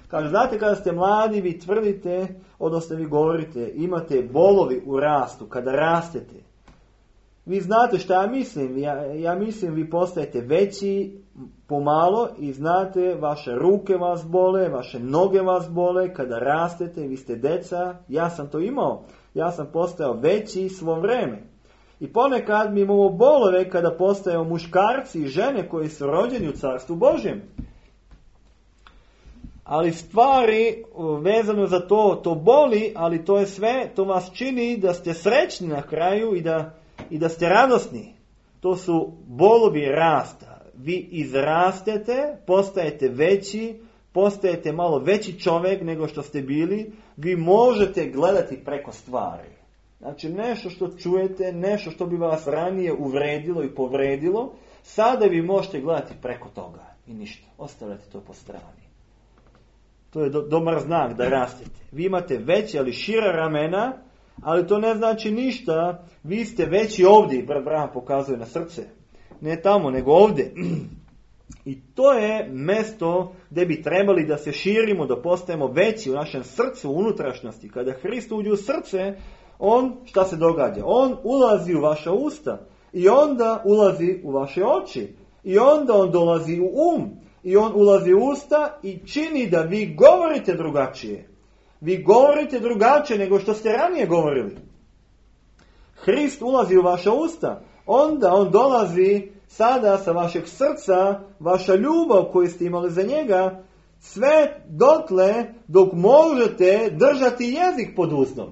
Kaže, znate, kada ste mladi, vi tvrdite, odnosno vi govorite, imate bolovi u rastu, kada rastete. Vi znate šta ja mislim. Ja mislim, vi postajete veći, pomalo i znate, vaše ruke vas bole, vaše noge vas bole, kada rastete, vi ste deca, ja sam to imao, ja sam postao veći svo vreme. I ponekad mi imamo bolove kada postajemo muškarci i žene koji su rođeni u Carstvu Božjem. Ali stvari vezano za to boli, ali to je sve, to vas čini da ste srećni na kraju i da ste radosni. To su bolovi rasta. Vi izrastete, postajete veći, postajete malo veći čovjek nego što ste bili. Vi možete gledati preko stvari. Znači nešto što čujete, nešto što bi vas ranije uvredilo i povredilo, sada vi možete gledati preko toga i ništa. Ostavljate to po strani. To je dobar znak da rastete. Vi imate veće, ali šira ramena, ali to ne znači ništa. Vi ste veći ovdje, brat Branham pokazuje na srce. Ne tamo, nego ovdje. I to je mjesto gdje bi trebali da se širimo, da postajemo veći u našem srcu, u unutrašnjosti. Kada Hrist uđe u srce, šta se događa? On ulazi u vaša usta i onda ulazi u vaše oči i onda on dolazi u i on ulazi u usta i čini da vi govorite drugačije. Vi govorite drugačije nego što ste ranije govorili. Hrist ulazi u vaša usta, onda on dolazi sada sa vašeg srca, vaša ljubav koju ste imali za njega, sve dotle dok možete držati jezik pod ustom.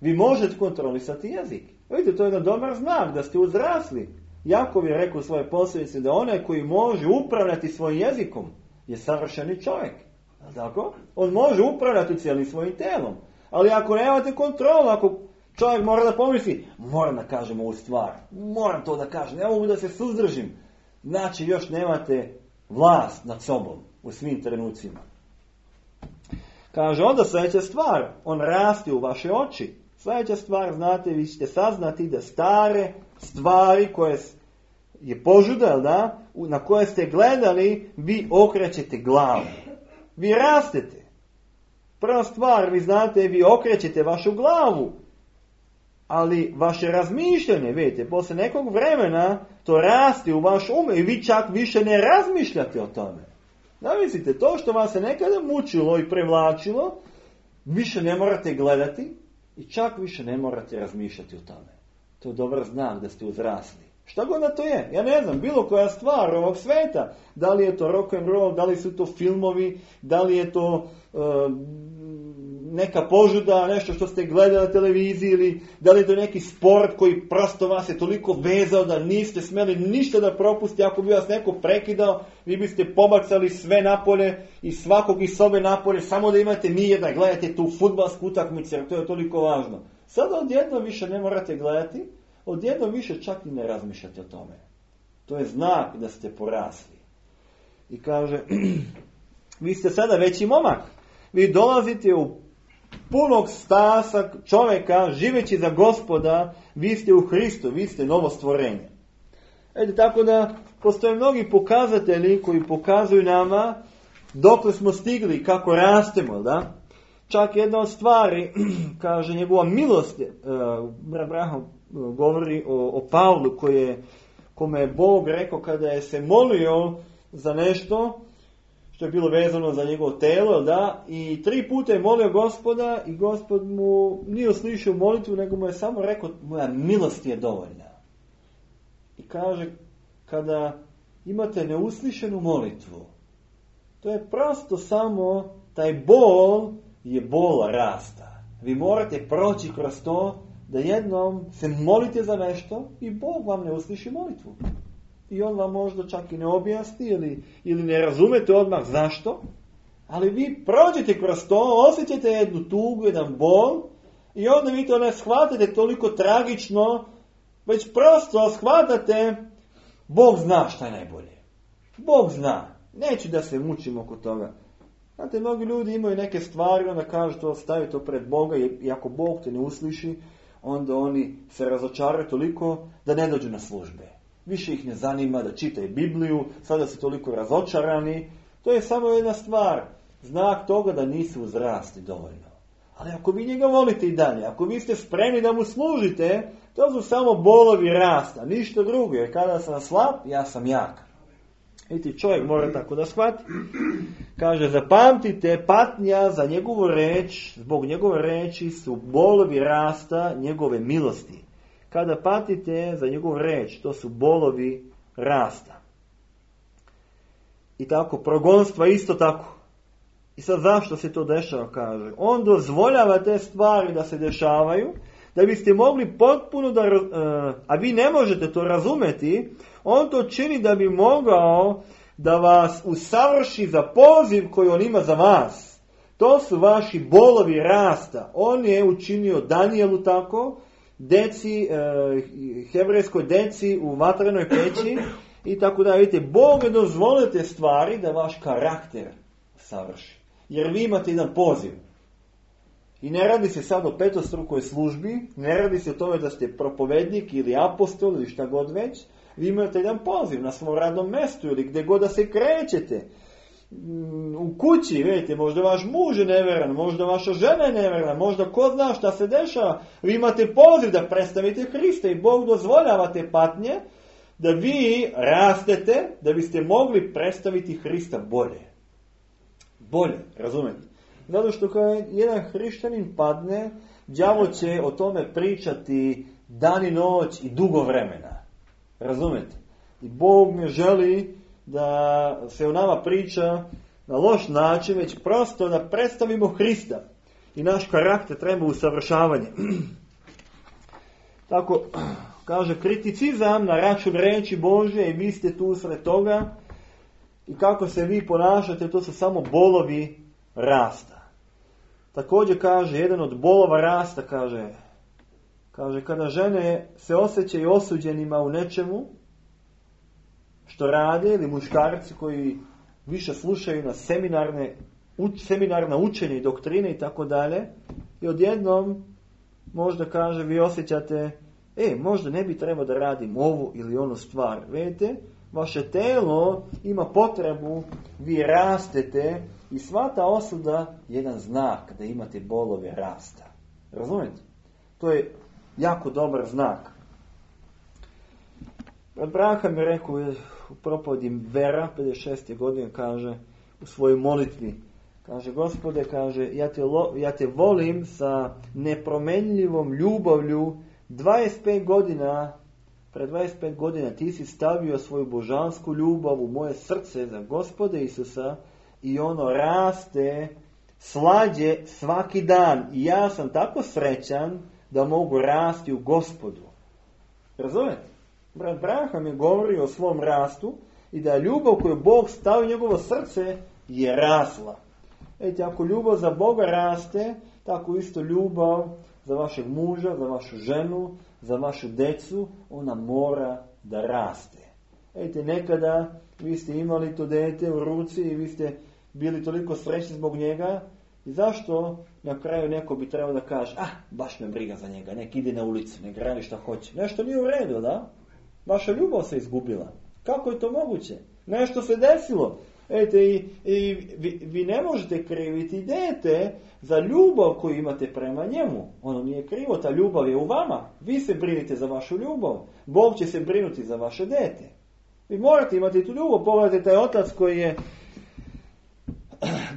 Vi možete kontrolisati jezik. Vidite, to je jedan dobar znak da ste uzrasli. Jakov je rekao u svojoj posljedici da onaj koji može upravljati svojim jezikom je savršeni čovjek. Tako? On može upravljati cijelim svojim telom. Ali ako nemate kontrolu, ako čovjek mora da pomisli, moram da kažem ovu stvar, moram to da kažem, ne mogu da se suzdržim. Znači još nemate vlast nad sobom u svim trenucima. Kaže, onda sljedeća stvar, on raste u vaše oči. Sljedeća stvar, znate, vi ćete saznati da stare stvari koje je požuda, da, na koje ste gledali, vi okrećete glavu. Vi rastete. Prva stvar, vi znate, vi okrećete vašu glavu. Ali vaše razmišljanje, vidite, poslije nekog vremena to raste u vaš i vi čak više ne razmišljate o tome. Zamislite, to što vas se nekada mučilo i prevlačilo, više ne morate gledati i čak više ne morate razmišljati o tome. To je dobar znak da ste uzrasli. Šta god da to je? Ja ne znam, bilo koja stvar ovog sveta. Da li je to rock and roll, da li su to filmovi, da li je to neka požuda, nešto što ste gledali na televiziji, ili da li je to neki sport koji prosto vas je toliko vezao da niste smjeli ništa da propusti. Ako bi vas neko prekidao, vi biste pobacali sve napolje i svakog iz sobe napolje, samo da imate mir da gledate tu fudbalsku utakmicu, jer to je toliko važno. Sada odjednom više ne morate gledati, odjednom više čak i ne razmišljate o tome. To je znak da ste porasli. I kaže, vi ste sada veći momak. Vi dolazite u punog stasa čovjeka, živeći za Gospoda, vi ste u Hristu, vi ste novo stvorenje. Tako da postoje mnogi pokazatelji koji pokazuju nama dokle smo stigli, kako rastemo, da? Čak jedna od stvari, kaže, njegova milost, Branham govori o Pavlu kome je Bog rekao kada je se molio za nešto što je bilo vezano za njegovo telo, da, i 3 puta je molio Gospoda i Gospod mu nije uslišio molitvu, nego mu je samo rekao, moja milost je dovoljna. I kaže, kada imate neuslišenu molitvu, to je prosto samo taj bol je bol rasta. Vi morate proći kroz to da jednom se molite za nešto i Bog vam ne usliši molitvu. I on vam možda čak i ne objasni ili ne razumete odmah zašto, ali vi prođete kroz to, osjećate jednu tugu, jedan bol i onda vi to ne shvatate toliko tragično, već prosto shvatate, Bog zna šta je najbolje. Bog zna. Neću da se mučim oko toga. Znate, mnogi ljudi imaju neke stvari, onda kažu to, stavi to pred Boga i ako Bog te ne usliši, onda oni se razočaraju toliko da ne dođu na službe. Više ih ne zanima da čitaju Bibliju, sada su toliko razočarani. To je samo jedna stvar, znak toga da nisu uzrasli dovoljno. Ali ako vi njega volite i dalje, ako vi ste spremni da mu služite, to su samo bolovi rasta, ništa drugo, jer kada sam slab, ja sam jak. Vidite, čovjek mora tako da shvati. Kaže, zapamtite, patnja za njegovu reč, zbog njegove reči su bolovi rasta njegove milosti. Kada patite za njegovu reč, to su bolovi rasta. I tako, progonstva isto tako. I sad zašto se to dešava, kaže? On dozvoljava te stvari da se dešavaju, da biste mogli potpuno da, a vi ne možete to razumeti, on to čini da bi mogao da vas usavrši za poziv koji on ima za vas. To su vaši bolovi rasta. On je učinio Danijelu tako, deci, hebrejskoj deci u vatrenoj peći i tako da, vidite, Bog ne dozvoli te stvari da vaš karakter savrši. Jer vi imate jedan poziv. I ne radi se sad o petostrukoj službi, ne radi se o tome da ste propovednik ili apostol ili šta god već. Vi imate jedan poziv na svom radnom mjestu ili gdje god da se krećete. U kući, vidite, možda vaš muž je neveran, možda vaša žena je neverna, možda ko zna šta se dešava. Vi imate poziv da predstavite Hrista i Bog dozvoljava te patnje da vi rastete, da biste mogli predstaviti Hrista bolje. Bolje, razumete? Zato što kada jedan hrišćanin padne, đavo će o tome pričati dan i noć i dugo vremena. Razumete? I Bog ne želi da se o nama priča na loš način, već prosto da predstavimo Hrista. I naš karakter treba usavršavanje. Tako, kaže, kriticizam na račun reči Božje i vi ste tu usred toga. I kako se vi ponašate, to su samo bolovi rasta. Također kaže, jedan od bolova rasta, kaže, kada žene se osjećaju osuđenima u nečemu što rade, ili muškarci koji više slušaju na seminarna učenja i doktrine i tako dalje, i odjednom možda kaže, vi osjećate, možda ne bi trebao da radim ovu ili onu stvar. Vidite, vaše telo ima potrebu, vi rastete i sva ta osuda je jedan znak da imate bolove rasta. Razumijete? To je jako dobar znak. Abraham je rekao u propovedi Vera, 56. godine, kaže u svojoj molitvi, kaže, Gospode, kaže, ja te volim sa nepromenljivom ljubavlju 25 godina. Pred 25 godina ti si stavio svoju božansku ljubav u moje srce za Gospoda Isusa i ono raste slađe svaki dan. I ja sam tako srećan da mogu rasti u Gospodu. Razumete? Brat Abraham je govorio o svom rastu i da ljubav koju Bog stavio u njegovo srce je rasla. Eti, ako ljubav za Boga raste, tako isto ljubav za vašeg muža, za vašu ženu, za vašu decu, ona mora da raste. Ejte, nekada vi ste imali to dete u ruci i vi ste bili toliko srećni zbog njega, i zašto na kraju neko bi trebao da kaže, baš me briga za njega, nek ide na ulicu, nek radi šta hoće. Nešto nije u redu, da? Vaša ljubav se izgubila. Kako je to moguće? Nešto se desilo. Ejte, i vi ne možete kriviti dete za ljubav koju imate prema njemu. Ono nije krivo, ta ljubav je u vama. Vi se brinite za vašu ljubav. Bog će se brinuti za vaše dete. Vi morate imati tu ljubav. Pogledajte taj otac koji je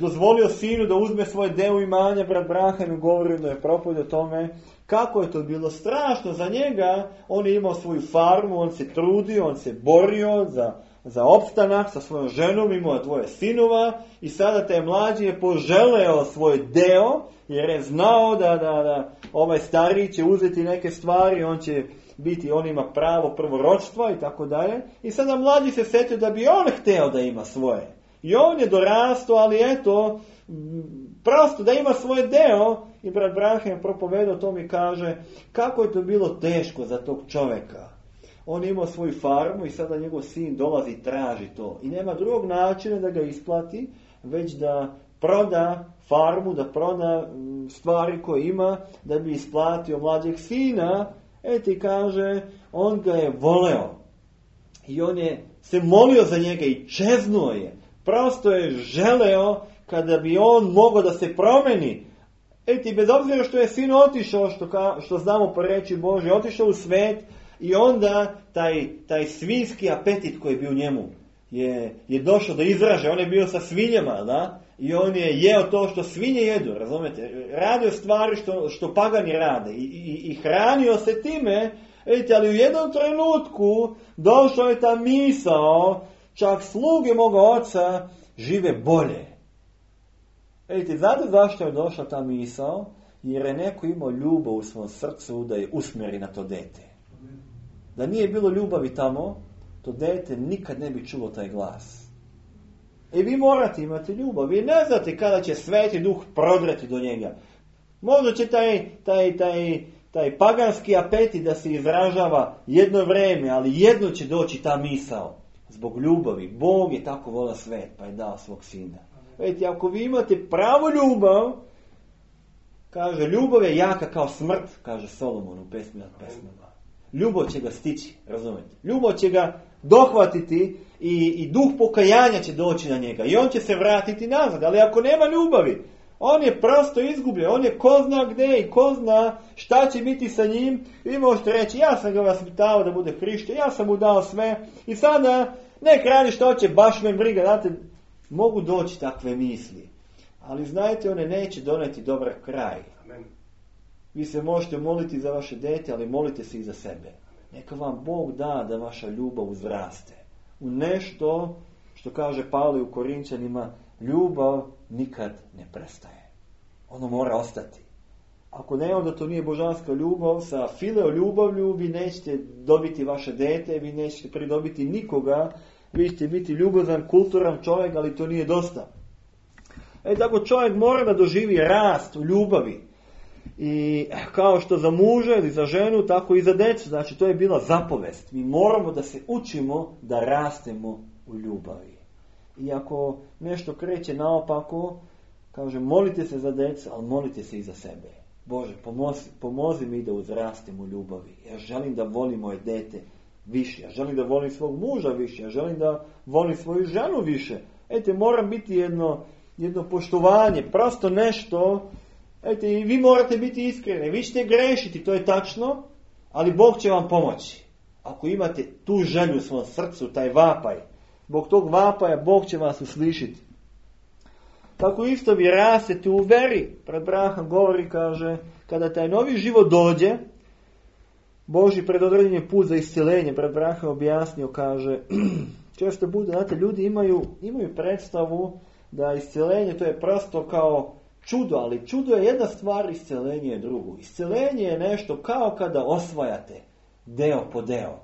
dozvolio sinu da uzme svoje deo imanja, brat Abraham je govorio da je propovjed o tome kako je to bilo strašno za njega. On je imao svoju farmu, on se trudio, on se borio za opstanak sa svojom ženom, imao 2 sinova i sada taj mlađi je poželeo svoj deo jer je znao da ovaj stariji će uzeti neke stvari, on ima pravo prvorođstva i tako dalje. I sada mlađi se setio da bi on hteo da ima svoje. I on je dorastao, ali eto, prosto da ima svoj deo. I brat Abraham propovedao to mi kaže kako je to bilo teško za tog čovjeka. On imao svoju farmu i sada njegov sin dolazi i traži to. I nema drugog načina da ga isplati, već da proda farmu, da proda stvari koje ima, da bi isplatio mlađeg sina. Ti kaže, on ga je voleo. I on je se molio za njega i čeznuo je. Prosto je želeo kada bi on mogao da se promeni. Ti bez obzira što je sin otišao, što znamo po reči Božje, otišao u svet, i onda taj svinjski apetit koji je bio u njemu, je došao do izražaja. On je bio sa svinjama, da? I on je jeo to što svinje jedu, razumete? Radio stvari što pagani rade i hranio se time. Vidite, ali u jednom trenutku došao je ta misao, čak sluge moga oca žive bolje. Vidite, znate zašto je došla ta misao? Jer je neko imao ljubav u svom srcu da je usmjeri na to dete. Da nije bilo ljubavi tamo, to dete nikad ne bi čulo taj glas. I vi morate imati ljubav. Vi ne znate kada će Sveti Duh prodreti do njega. Možda će taj paganski apetit da se izražava jedno vrijeme, ali jedno će doći ta misao. Zbog ljubavi. Bog je tako volio svet, pa je dao svog sina. Vidite, ako vi imate pravu ljubav, kaže, ljubav je jaka kao smrt, kaže Solomon u pesmi nad pesmama. Ljubav će ga stići, razumijete? Ljubav će ga dohvatiti i duh pokajanja će doći na njega. I on će se vratiti nazad. Ali ako nema ljubavi, on je prosto izgubljen. On je ko zna gdje i ko zna šta će biti sa njim. Vi možete reći, ja sam ga vaspitao da bude hrišćan, ja sam mu dao sve. I sada nek radi što hoće, baš me briga. Znate, mogu doći takve misli. Ali znajte, one neće doneti dobar kraj. Amen. Vi se možete moliti za vaše dete, ali molite se i za sebe. Neka vam Bog da da vaša ljubav uzraste. U nešto, što kaže Pavle u Korinčanima, ljubav nikad ne prestaje. Ono mora ostati. Ako ne, onda to nije božanska ljubav. Sa fileo ljubavlju vi nećete dobiti vaše dete, vi nećete pridobiti nikoga. Vi ćete biti ljubazan, kulturan čovjek, ali to nije dosta. Tako čovjek mora da doživi rast u ljubavi. I kao što za muža ili za ženu, tako i za djecu. Znači, to je bila zapovest. Mi moramo da se učimo da rastemo u ljubavi. I ako nešto kreće naopako, kaže, molite se za djecu, ali molite se i za sebe. Bože, pomozi mi da uzrastem u ljubavi. Ja želim da volim moje dete više. Ja želim da volim svog muža više. Ja želim da volim svoju ženu više. Mora biti jedno poštovanje, prosto nešto. I vi morate biti iskreni. Vi ćete grešiti, to je tačno, ali Bog će vam pomoći. Ako imate tu želju u svom srcu, taj vapaj, zbog tog vapaja Bog će vas uslišiti. Tako isto vi rastete u veri. Pred Brahom govori, kaže, kada taj novi život dođe, Božji predodređen je put za iscjelenje. Pred Brahom objasnio, kaže, često bude, znate, ljudi imaju predstavu da iscjelenje to je prosto kao čudo, ali čudo je jedna stvar, iscjelenje je drugo. Iscjelenje je nešto kao kada osvajate deo po deo.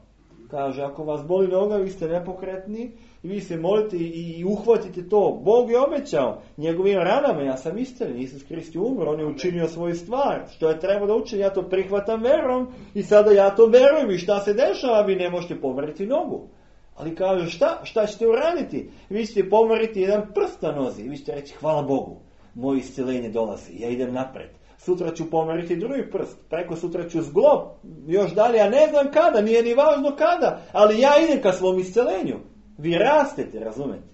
Kaže, ako vas boli noga, vi ste nepokretni i vi se molite i uhvatite to. Bog je obećao njegovim ranama, ja sam isceljen, Isus Krist je umro, on je učinio svoju stvar. Što je treba da učini, ja to prihvatam verom i sada ja to verujem i šta se dešava, vi ne možete pomeriti nogu. Ali kaže, šta ćete uraditi? Vi ćete pomeriti jedan prst na nozi i vi ćete reći, hvala Bogu, moje isceljenje dolazi, ja idem napred. Sutra ću pomeriti drugi prst, preko sutra ću zglob, još dalje, ja ne znam kada, nije ni važno kada, ali ja idem ka svom isceljenju. Vi rastete, razumete?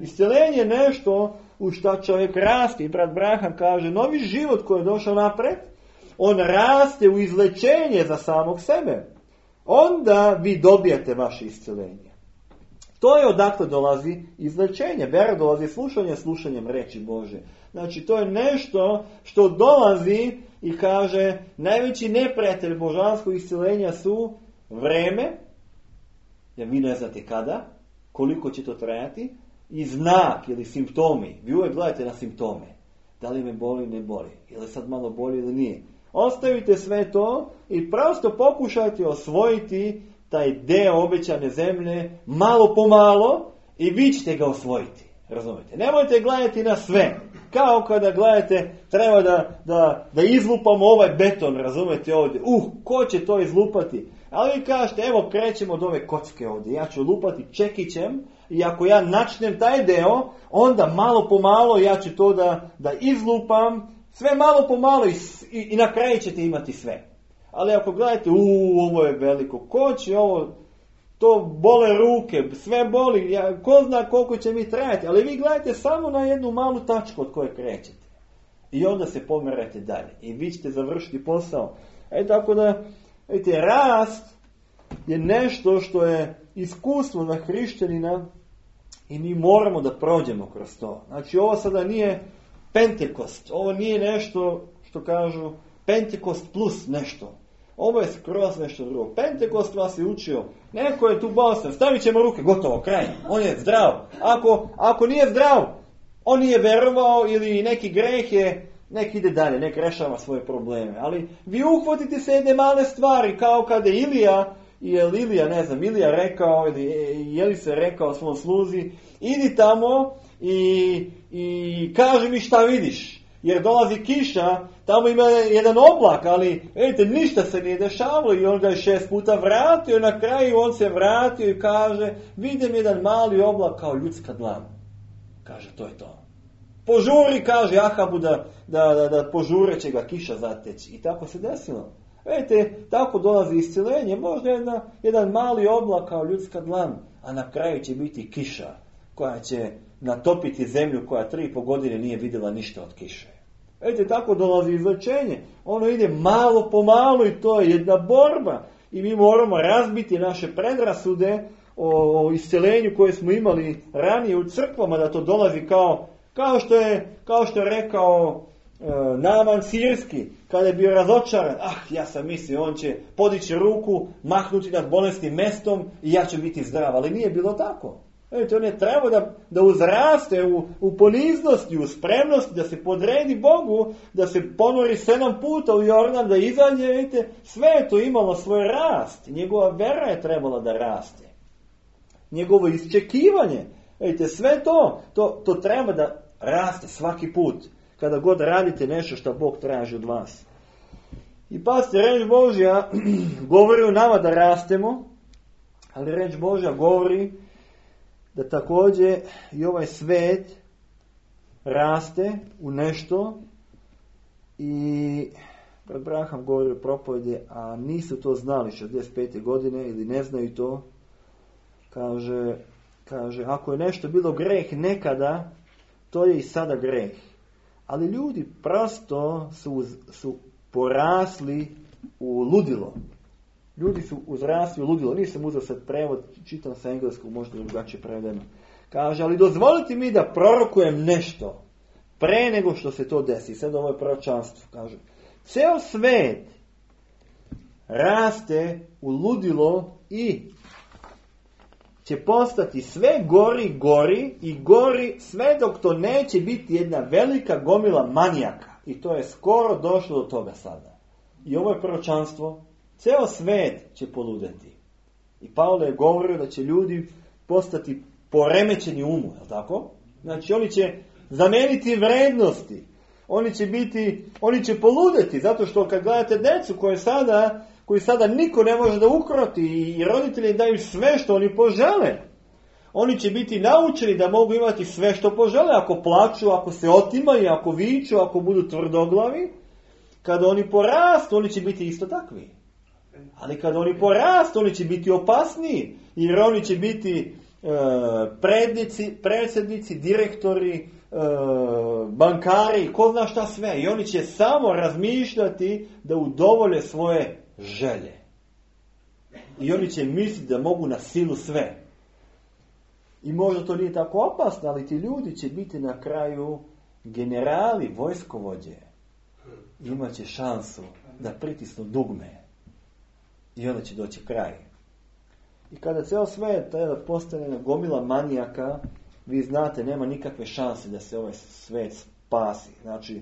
Isceljenje je nešto u šta čovjek raste. I brat Braham kaže, novi život koji je došao napred, on raste u izlečenje za samog sebe. Onda vi dobijate vaše isceljenje. To je odakle dolazi izlečenje. Vera dolazi slušanjem reči Bože. Znači, to je nešto što dolazi i kaže, najveći neprijatelj božanskog isceljenja su vreme, jer vi ne znate kada, koliko će to trajati, i znak ili simptomi. Vi uvijek gledate na simptome. Da li me boli, ne boli. Ili sad malo boli ili nije. Ostavite sve to i prosto pokušajte osvojiti taj deo obećane zemlje malo po malo i vi ćete ga osvojiti. Razumete? Nemojte gledati na sve. Kao kada gledate, treba da izlupamo ovaj beton, razumete, ovdje. Ko će to izlupati? Ali vi kažete, evo krećemo od ove kocke ovdje. Ja ću lupati čekićem i ako ja načnem taj deo, onda malo po malo ja ću to da izlupam. Sve malo po malo i na kraju ćete imati sve. Ali ako gledate, ovo je veliko, ko će ovo, to bole ruke, sve boli, ko zna koliko će mi trajati, ali vi gledate samo na jednu malu tačku od koje krećete. I onda se pomerate dalje i vi ćete završiti posao. Tako da, vidite, rast je nešto što je iskustvo za hrišćanina I mi moramo da prođemo kroz to. Znači ovo sada nije Pentekost. Ovo nije nešto što kažu Pentekost plus nešto. Ovo je skroz nešto drugo. Pentekost vas je učio. Neko je tu bolestan. Stavit ćemo ruke. Gotovo. Kraj. On je zdrav. Ako nije zdrav, on nije verovao ili neki greh je, nek ide dalje, nek rešava svoje probleme. Ali vi uhvatite se jedne male stvari, kao kada je Ilija rekao, ili je li se rekao svom sluzi, idi tamo i kaži mi šta vidiš. Jer dolazi kiša, tamo ima jedan oblak, ali vidite, ništa se nije dešavalo i on ga je 6 puta vratio i na kraju on se vratio i kaže, vidim jedan mali oblak kao ljudska dlana. Kaže, to je to. Požuri, kaže Ahabu, da požure će ga kiša zateći. I tako se desilo. Vidite, tako dolazi iscilenje. Možda jedan mali oblak kao ljudska dlan, a na kraju će biti kiša koja će natopiti zemlju koja 3,5 godine nije vidjela ništa od kiše. Vidite, tako dolazi izlečenje. Ono ide malo po malo i to je jedna borba. I mi moramo razbiti naše predrasude o iscilenju koje smo imali ranije u crkvama, da to dolazi kao što je rekao Naman Sirski, kada je bio razočaran. Ja sam mislio, on će podići ruku, mahnuti nad bolesnim mestom i ja ću biti zdrav. Ali nije bilo tako. Vidite, on je trebao da uzraste u poniznosti, u spremnosti, da se podredi Bogu, da se ponori 7 puta u Jordan, da izađe. Vidite, sve je to imalo svoj rast. Njegova vera je trebala da raste. Njegovo isčekivanje. Vidite, sve to treba da raste svaki put. Kada god radite nešto što Bog traži od vas. I pazite, reč Božja govori o nama da rastemo, ali reč Božja govori da također i ovaj svet raste u nešto. I brat Braham govori o propovedi, a nisu to znali 65. godine ili ne znaju to. Kaže, ako je nešto bilo greh nekada, to je i sada greh. Ali ljudi prosto su porasli u ludilo. Ljudi su uzrasli u ludilo. Nisam uzeo sad prevod, čitam sa engleskog, možda drugačije prevedeno. Kaže, ali dozvolite mi da prorokujem nešto pre nego što se to desi. Sad ovo je proročanstvo. Kaže, ceo svet raste u ludilo i će postati sve gori i gori, sve dok to neće biti jedna velika gomila manijaka. I to je skoro došlo do toga sada. I ovo je proročanstvo. Ceo svet će poludeti. I Pavle je govorio da će ljudi postati poremećeni umu, je li tako? Znači oni će zameniti vrednosti. Oni će poludeti, zato što kad gledate decu koji sada niko ne može da ukroti i roditelji daju sve što oni požele. Oni će biti naučeni da mogu imati sve što požele. Ako plaču, ako se otimaju, ako viču, ako budu tvrdoglavi. Kada oni porastu, oni će biti isto takvi. Ali kada oni porastu, oni će biti opasniji. Jer oni će biti predsjednici, direktori, bankari, ko zna šta sve. I oni će samo razmišljati da udovolje svoje želje. I oni će misliti da mogu na silu sve. I možda to nije tako opasno, ali ti ljudi će biti na kraju generali, vojskovođe. Imaće šansu da pritisnu dugme. I onda će doći kraj. I kada ceo svet postane gomila manijaka, vi znate, nema nikakve šanse da se ovaj svet spasi. Znači,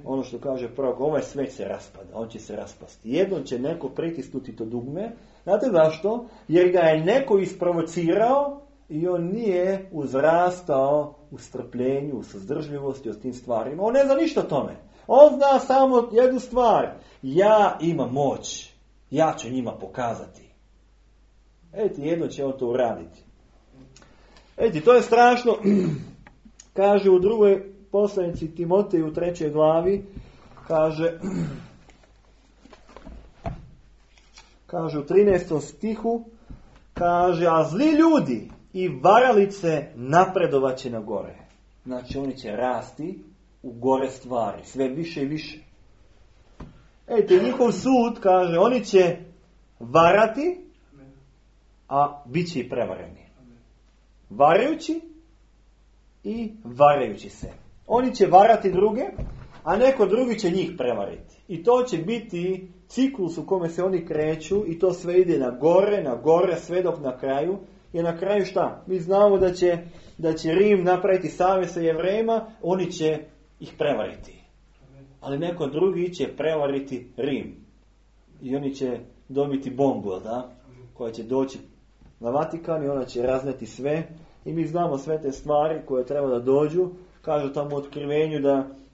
ono što kaže prorok, ovaj svet se raspada, on će se raspasti. Jednom će neko pritisnuti to dugme. Znate zašto? Jer ga je neko isprovocirao i on nije uzrastao u strpljenju, u suzdržljivosti o tim stvarima. On ne zna ništa o tome. On zna samo jednu stvar. Ja imam moć. Ja ću njima pokazati. Jedno će on to uraditi. To je strašno. Kaže u drugoj poslanici Timoteju u 3. glavi, kaže u 13. stihu, kaže, a zli ljudi i varalice napredovaće na gore. Znači oni će rasti u gore stvari, sve više i više. Njihov sud, kaže, oni će varati, a bit će i prevareni. Varajući i varajući se. Oni će varati druge, a neko drugi će njih prevariti. I to će biti ciklus u kome se oni kreću i to sve ide na gore, sve dok na kraju. I na kraju šta? Mi znamo da će Rim napraviti savez sa Jevrejima, oni će ih prevariti. Ali neko drugi će prevariti Rim. I oni će dobiti bombu, da? Koja će doći na Vatikan i ona će razneti sve. I mi znamo sve te stvari koje treba da dođu. Kažu tamo u Otkrivenju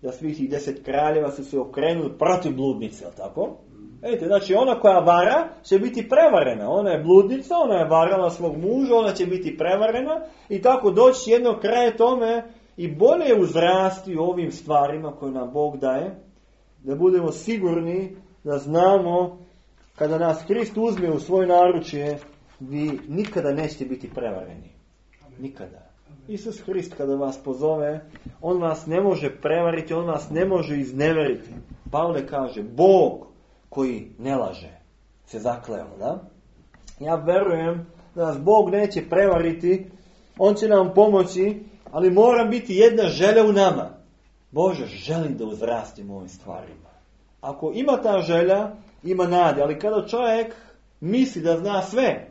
da svih tih 10 kraljeva su se okrenuli protiv bludnice, jel tako? Vidite, znači ona koja vara će biti prevarena. Ona je bludnica, ona je varala svog muža, ona će biti prevarena i tako doći jednog kraja tome i bolje uzrasti u ovim stvarima koje nam Bog daje, da budemo sigurni da znamo kada nas Krist uzme u svoje naručje, vi nikada nećete biti prevareni. Nikada. Isus Hrist kada vas pozove, on vas ne može prevariti, on vas ne može izneveriti. Pavle kaže, Bog koji ne laže, se zakleo, da? Ja verujem da nas Bog neće prevariti, on će nam pomoći, ali mora biti jedna želja u nama. Bože, želim da uzrastim u ovim stvarima. Ako ima ta želja, ima nade, ali kada čovjek misli da zna sve,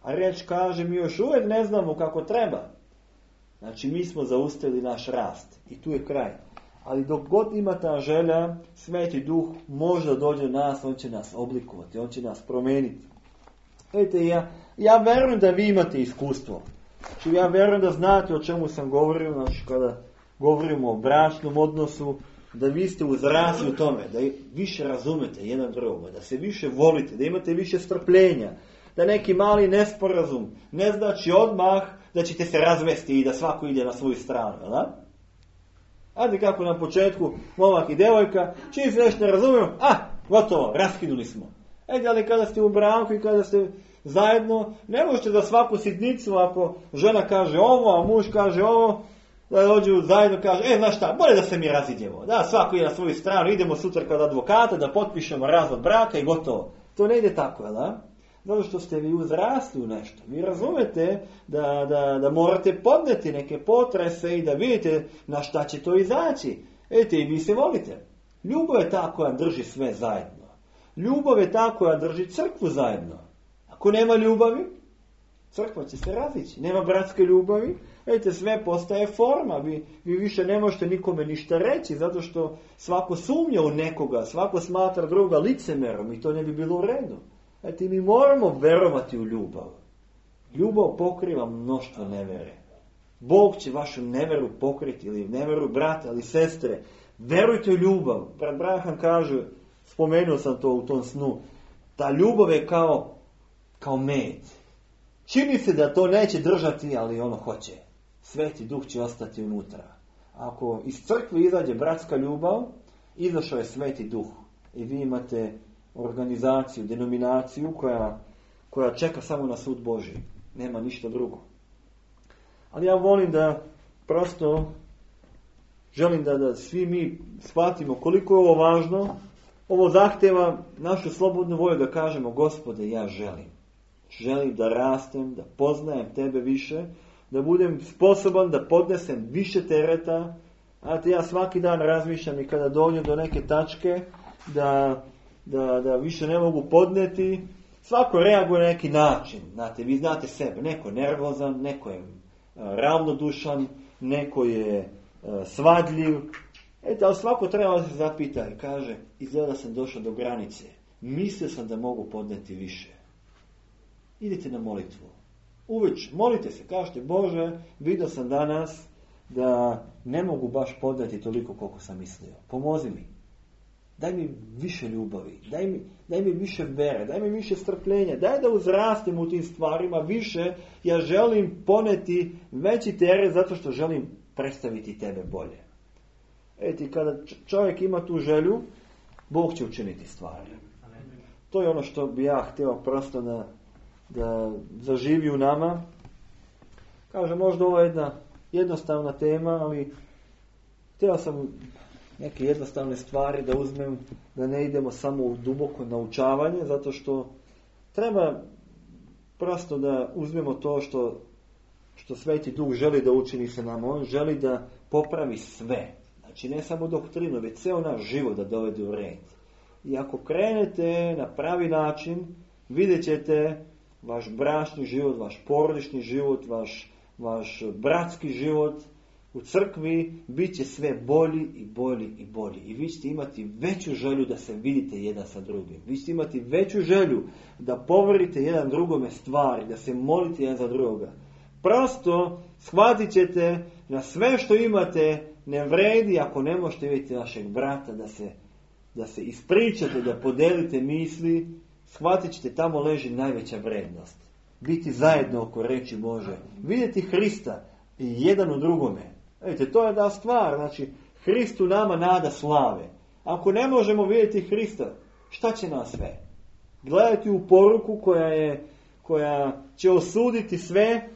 a riječ kaže, mi još uvijek ne znamo kako treba, znači mi smo zaustavili naš rast i tu je kraj. Ali dok god ima ta želja, Sveti Duh može da dođe do nas, on će nas oblikovati, on će nas promijeniti. Vidite, ja verujem da vi imate iskustvo. Znači, ja verujem da znate o čemu sam govorio, znači kada govorimo o bračnom odnosu, da vi ste uzrasli u tome, da više razumete jedan drugoga, da se više volite, da imate više strpljenja, da neki mali nesporazum ne znači odmah da ćete se razvesti i da svako ide na svoju stranu, da? Ajde kako na početku, momak i devojka, čim se nešto ne razumiju, gotovo, raskinuli smo. Ajde, ali kada ste u braku i kada ste zajedno, ne možete za svaku sitnicu, ako žena kaže ovo, a muž kaže ovo, da dođu zajedno kaže, znaš šta, bolje da se mi razidjemo. Da, svako ide na svoju stranu, idemo sutra kod advokata, da potpišemo razvod braka i gotovo. To ne ide tako, jel da? Zato što ste vi uzrasli u nešto. Vi razumete da morate podneti neke potrese i da vidite na šta će to izaći. Vidite, i vi se volite. Ljubav je ta koja drži sve zajedno. Ljubav je ta koja drži crkvu zajedno. Ako nema ljubavi, crkva će se razići. Nema bratske ljubavi, vidite, sve postaje forma. Vi više ne možete nikome ništa reći, zato što svako sumnja u nekoga, svako smatra druga licemerom i to ne bi bilo u redu. Vidite, mi moramo verovati u ljubav. Ljubav pokriva mnoštvo nevere. Bog će vašu neveru pokriti, ili neveru brata ili sestre. Verujte u ljubav. Brat Braham kaže, spomenuo sam to u tom snu, ta ljubav je kao med. Čini se da to neće držati, ali ono hoće. Sveti Duh će ostati unutra. Ako iz crkve izađe bratska ljubav, izašao je Sveti Duh. I vi imate organizaciju, denominaciju koja čeka samo na sud Božji. Nema ništa drugo. Ali ja volim da prosto želim da svi mi shvatimo koliko je ovo važno. Ovo zahtjeva našu slobodnu volju da kažemo, Gospode, ja želim. Želim da rastem, da poznajem Tebe više, da budem sposoban da podnesem više tereta. Znate, ja svaki dan razmišljam i kada dođem do neke tačke da više ne mogu podneti, svako reaguje na neki način. Znate, vi znate sebe, neko je nervozan, neko je ravnodušan, neko je svadljiv. Ali svako treba se zapita i kaže, izgleda sam došao do granice, mislio sam da mogu podneti više. Idite na molitvu. Uveč, molite se, kažete, Bože, vidio sam danas da ne mogu baš podneti toliko koliko sam mislio. Pomozi mi. Daj mi više ljubavi, daj mi više vere, daj mi više strpljenja, daj da uzrastim u tim stvarima više. Ja želim poneti veći teret zato što želim predstaviti Tebe bolje. Kada čovjek ima tu želju, Bog će učiniti stvari. To je ono što bi ja htio prosto da zaživi u nama. Kaže, možda ovo je jedna jednostavna tema, ali htio sam neke jednostavne stvari da uzmem, da ne idemo samo u duboko naučavanje, zato što treba prosto da uzmemo to što Sveti Duh želi da učini sa nama. On želi da popravi sve. Znači ne samo doktrinu, već ceo naš život da dovede u red. I ako krenete na pravi način, vidjet ćete vaš bračni život, vaš porodični život, vaš bratski život u crkvi bit će sve bolji i bolji i bolji. I vi ćete imati veću želju da se vidite jedan sa drugim. Vi ćete imati veću želju da poverite jedan drugome stvari, da se molite jedan za drugoga. Prosto shvatit ćete na sve što imate ne vredi ako ne možete vidjeti našeg brata, da se ispričate, da podelite misli. Shvatit ćete, tamo leži najveća vrednost. Biti zajedno oko reči Bože. Vidjeti Hrista i jedan u drugome. Vidite, to je da stvar. Znači, Hrist u nama nada slave. Ako ne možemo vidjeti Hrista, šta će nas sve? Gledati u poruku koja će osuditi sve,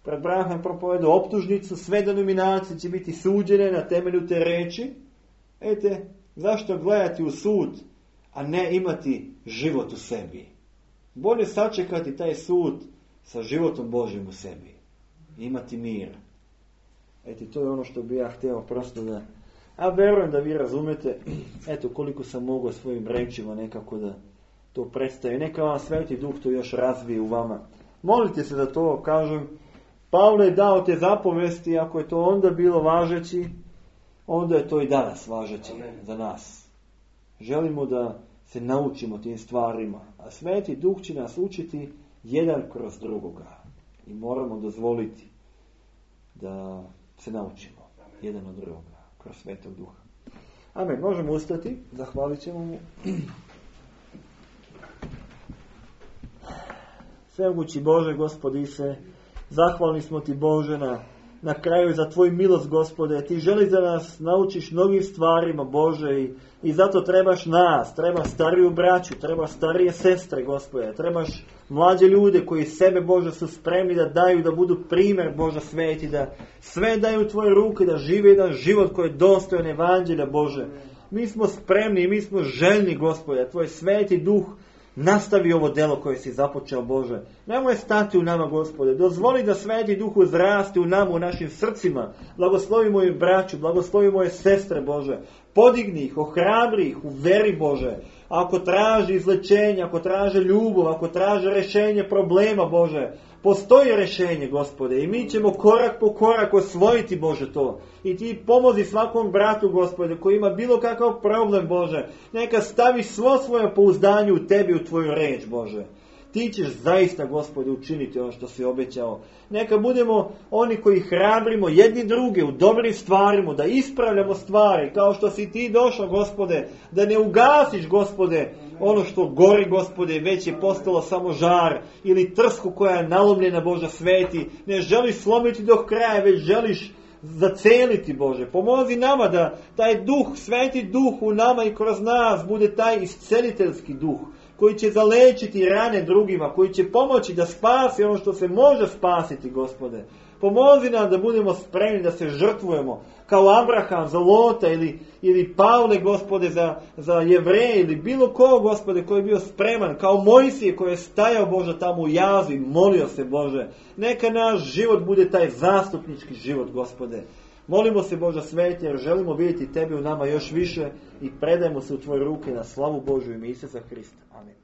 pred Branham propovedu optužnicu, sve denominacije će biti suđene na temelju te reči. Vidite, zašto gledati u sud, a ne imati život u sebi? Bolje sačekati taj sud sa životom Božjim u sebi. Imati mir. Eto, to je ono što bi ja htio prosto da... A verujem da vi razumete, eto koliko sam mogao svojim rečima nekako da to predstavi. Neka vam Sveti Duh to još razvije u vama. Molite se da to kažem. Pavle je dao te zapovesti, ako je to onda bilo važeći, onda je to i danas važeći za nas. Želimo da se naučimo tim stvarima, a Sveti Duh će nas učiti jedan kroz drugoga. I moramo dozvoliti da se naučimo jedan od drugoga kroz Svetog Duha. Amen. Možemo ustati, zahvalit ćemo mu. Svemogući Bože, Gospodi se, zahvalni smo ti Bože na kraju za tvoju milost, Gospode. Ti želi da nas naučiš mnogim stvarima, Bože, i zato trebaš nas, trebaš stariju braću, trebaš starije sestre, Gospode, trebaš mlađe ljude koji sebe, Bože, su spremni da daju, da budu primjer, Bože, sveti, da sve daju u tvoje ruke, da žive jedan život koji je dostojan evanđelja, Bože. Mi smo spremni i mi smo željni, Gospode, tvoj Sveti Duh nastavi ovo delo koje si započeo, Bože. Nemoj stati u nama, Gospode. Dozvoli da Sveti Duh uzraste u nama, u našim srcima. Blagoslovi moju braću, blagoslovi moje sestre, Bože. Podigni ih, ohrabri ih u veri, Bože. Ako traži izlečenje, ako traže ljubav, ako traže rješenje problema, Bože, postoji rješenje, Gospode, i mi ćemo korak po korak osvojiti, Bože, to. I ti pomozi svakom bratu, Gospode, koji ima bilo kakav problem, Bože. Neka stavi svo svoje pouzdanje u tebi, u tvoju reč, Bože. Ti ćeš zaista, Gospode, učiniti ono što si obećao. Neka budemo oni koji hrabrimo jedni druge u dobrim stvarima, da ispravljamo stvari, kao što si ti došao, Gospode, da ne ugasiš, Gospode, ono što gori, Gospode, već je postalo samo žar, ili trsku koja je nalomljena, Bože sveti. Ne želiš slomiti do kraja, već želiš zaceliti, Bože. Pomozi nama da taj duh, Sveti Duh u nama i kroz nas bude taj isceliteljski duh, koji će zalečiti rane drugima, koji će pomoći da spasi ono što se može spasiti, Gospode. Pomozi nam da budemo spremni da se žrtvujemo, kao Abraham za Lota ili Pavle, Gospode, za Jevreje ili bilo ko, Gospode, koji je bio spreman, kao Mojsije koji je stajao, Bože, tamo u jazu i molio se, Bože. Neka naš život bude taj zastupnički život, Gospode. Molimo se, Bože sveti, jer želimo vidjeti tebe u nama još više i predajmo se u tvoje ruke na slavu Božju ime Isusa Hrista. Amen.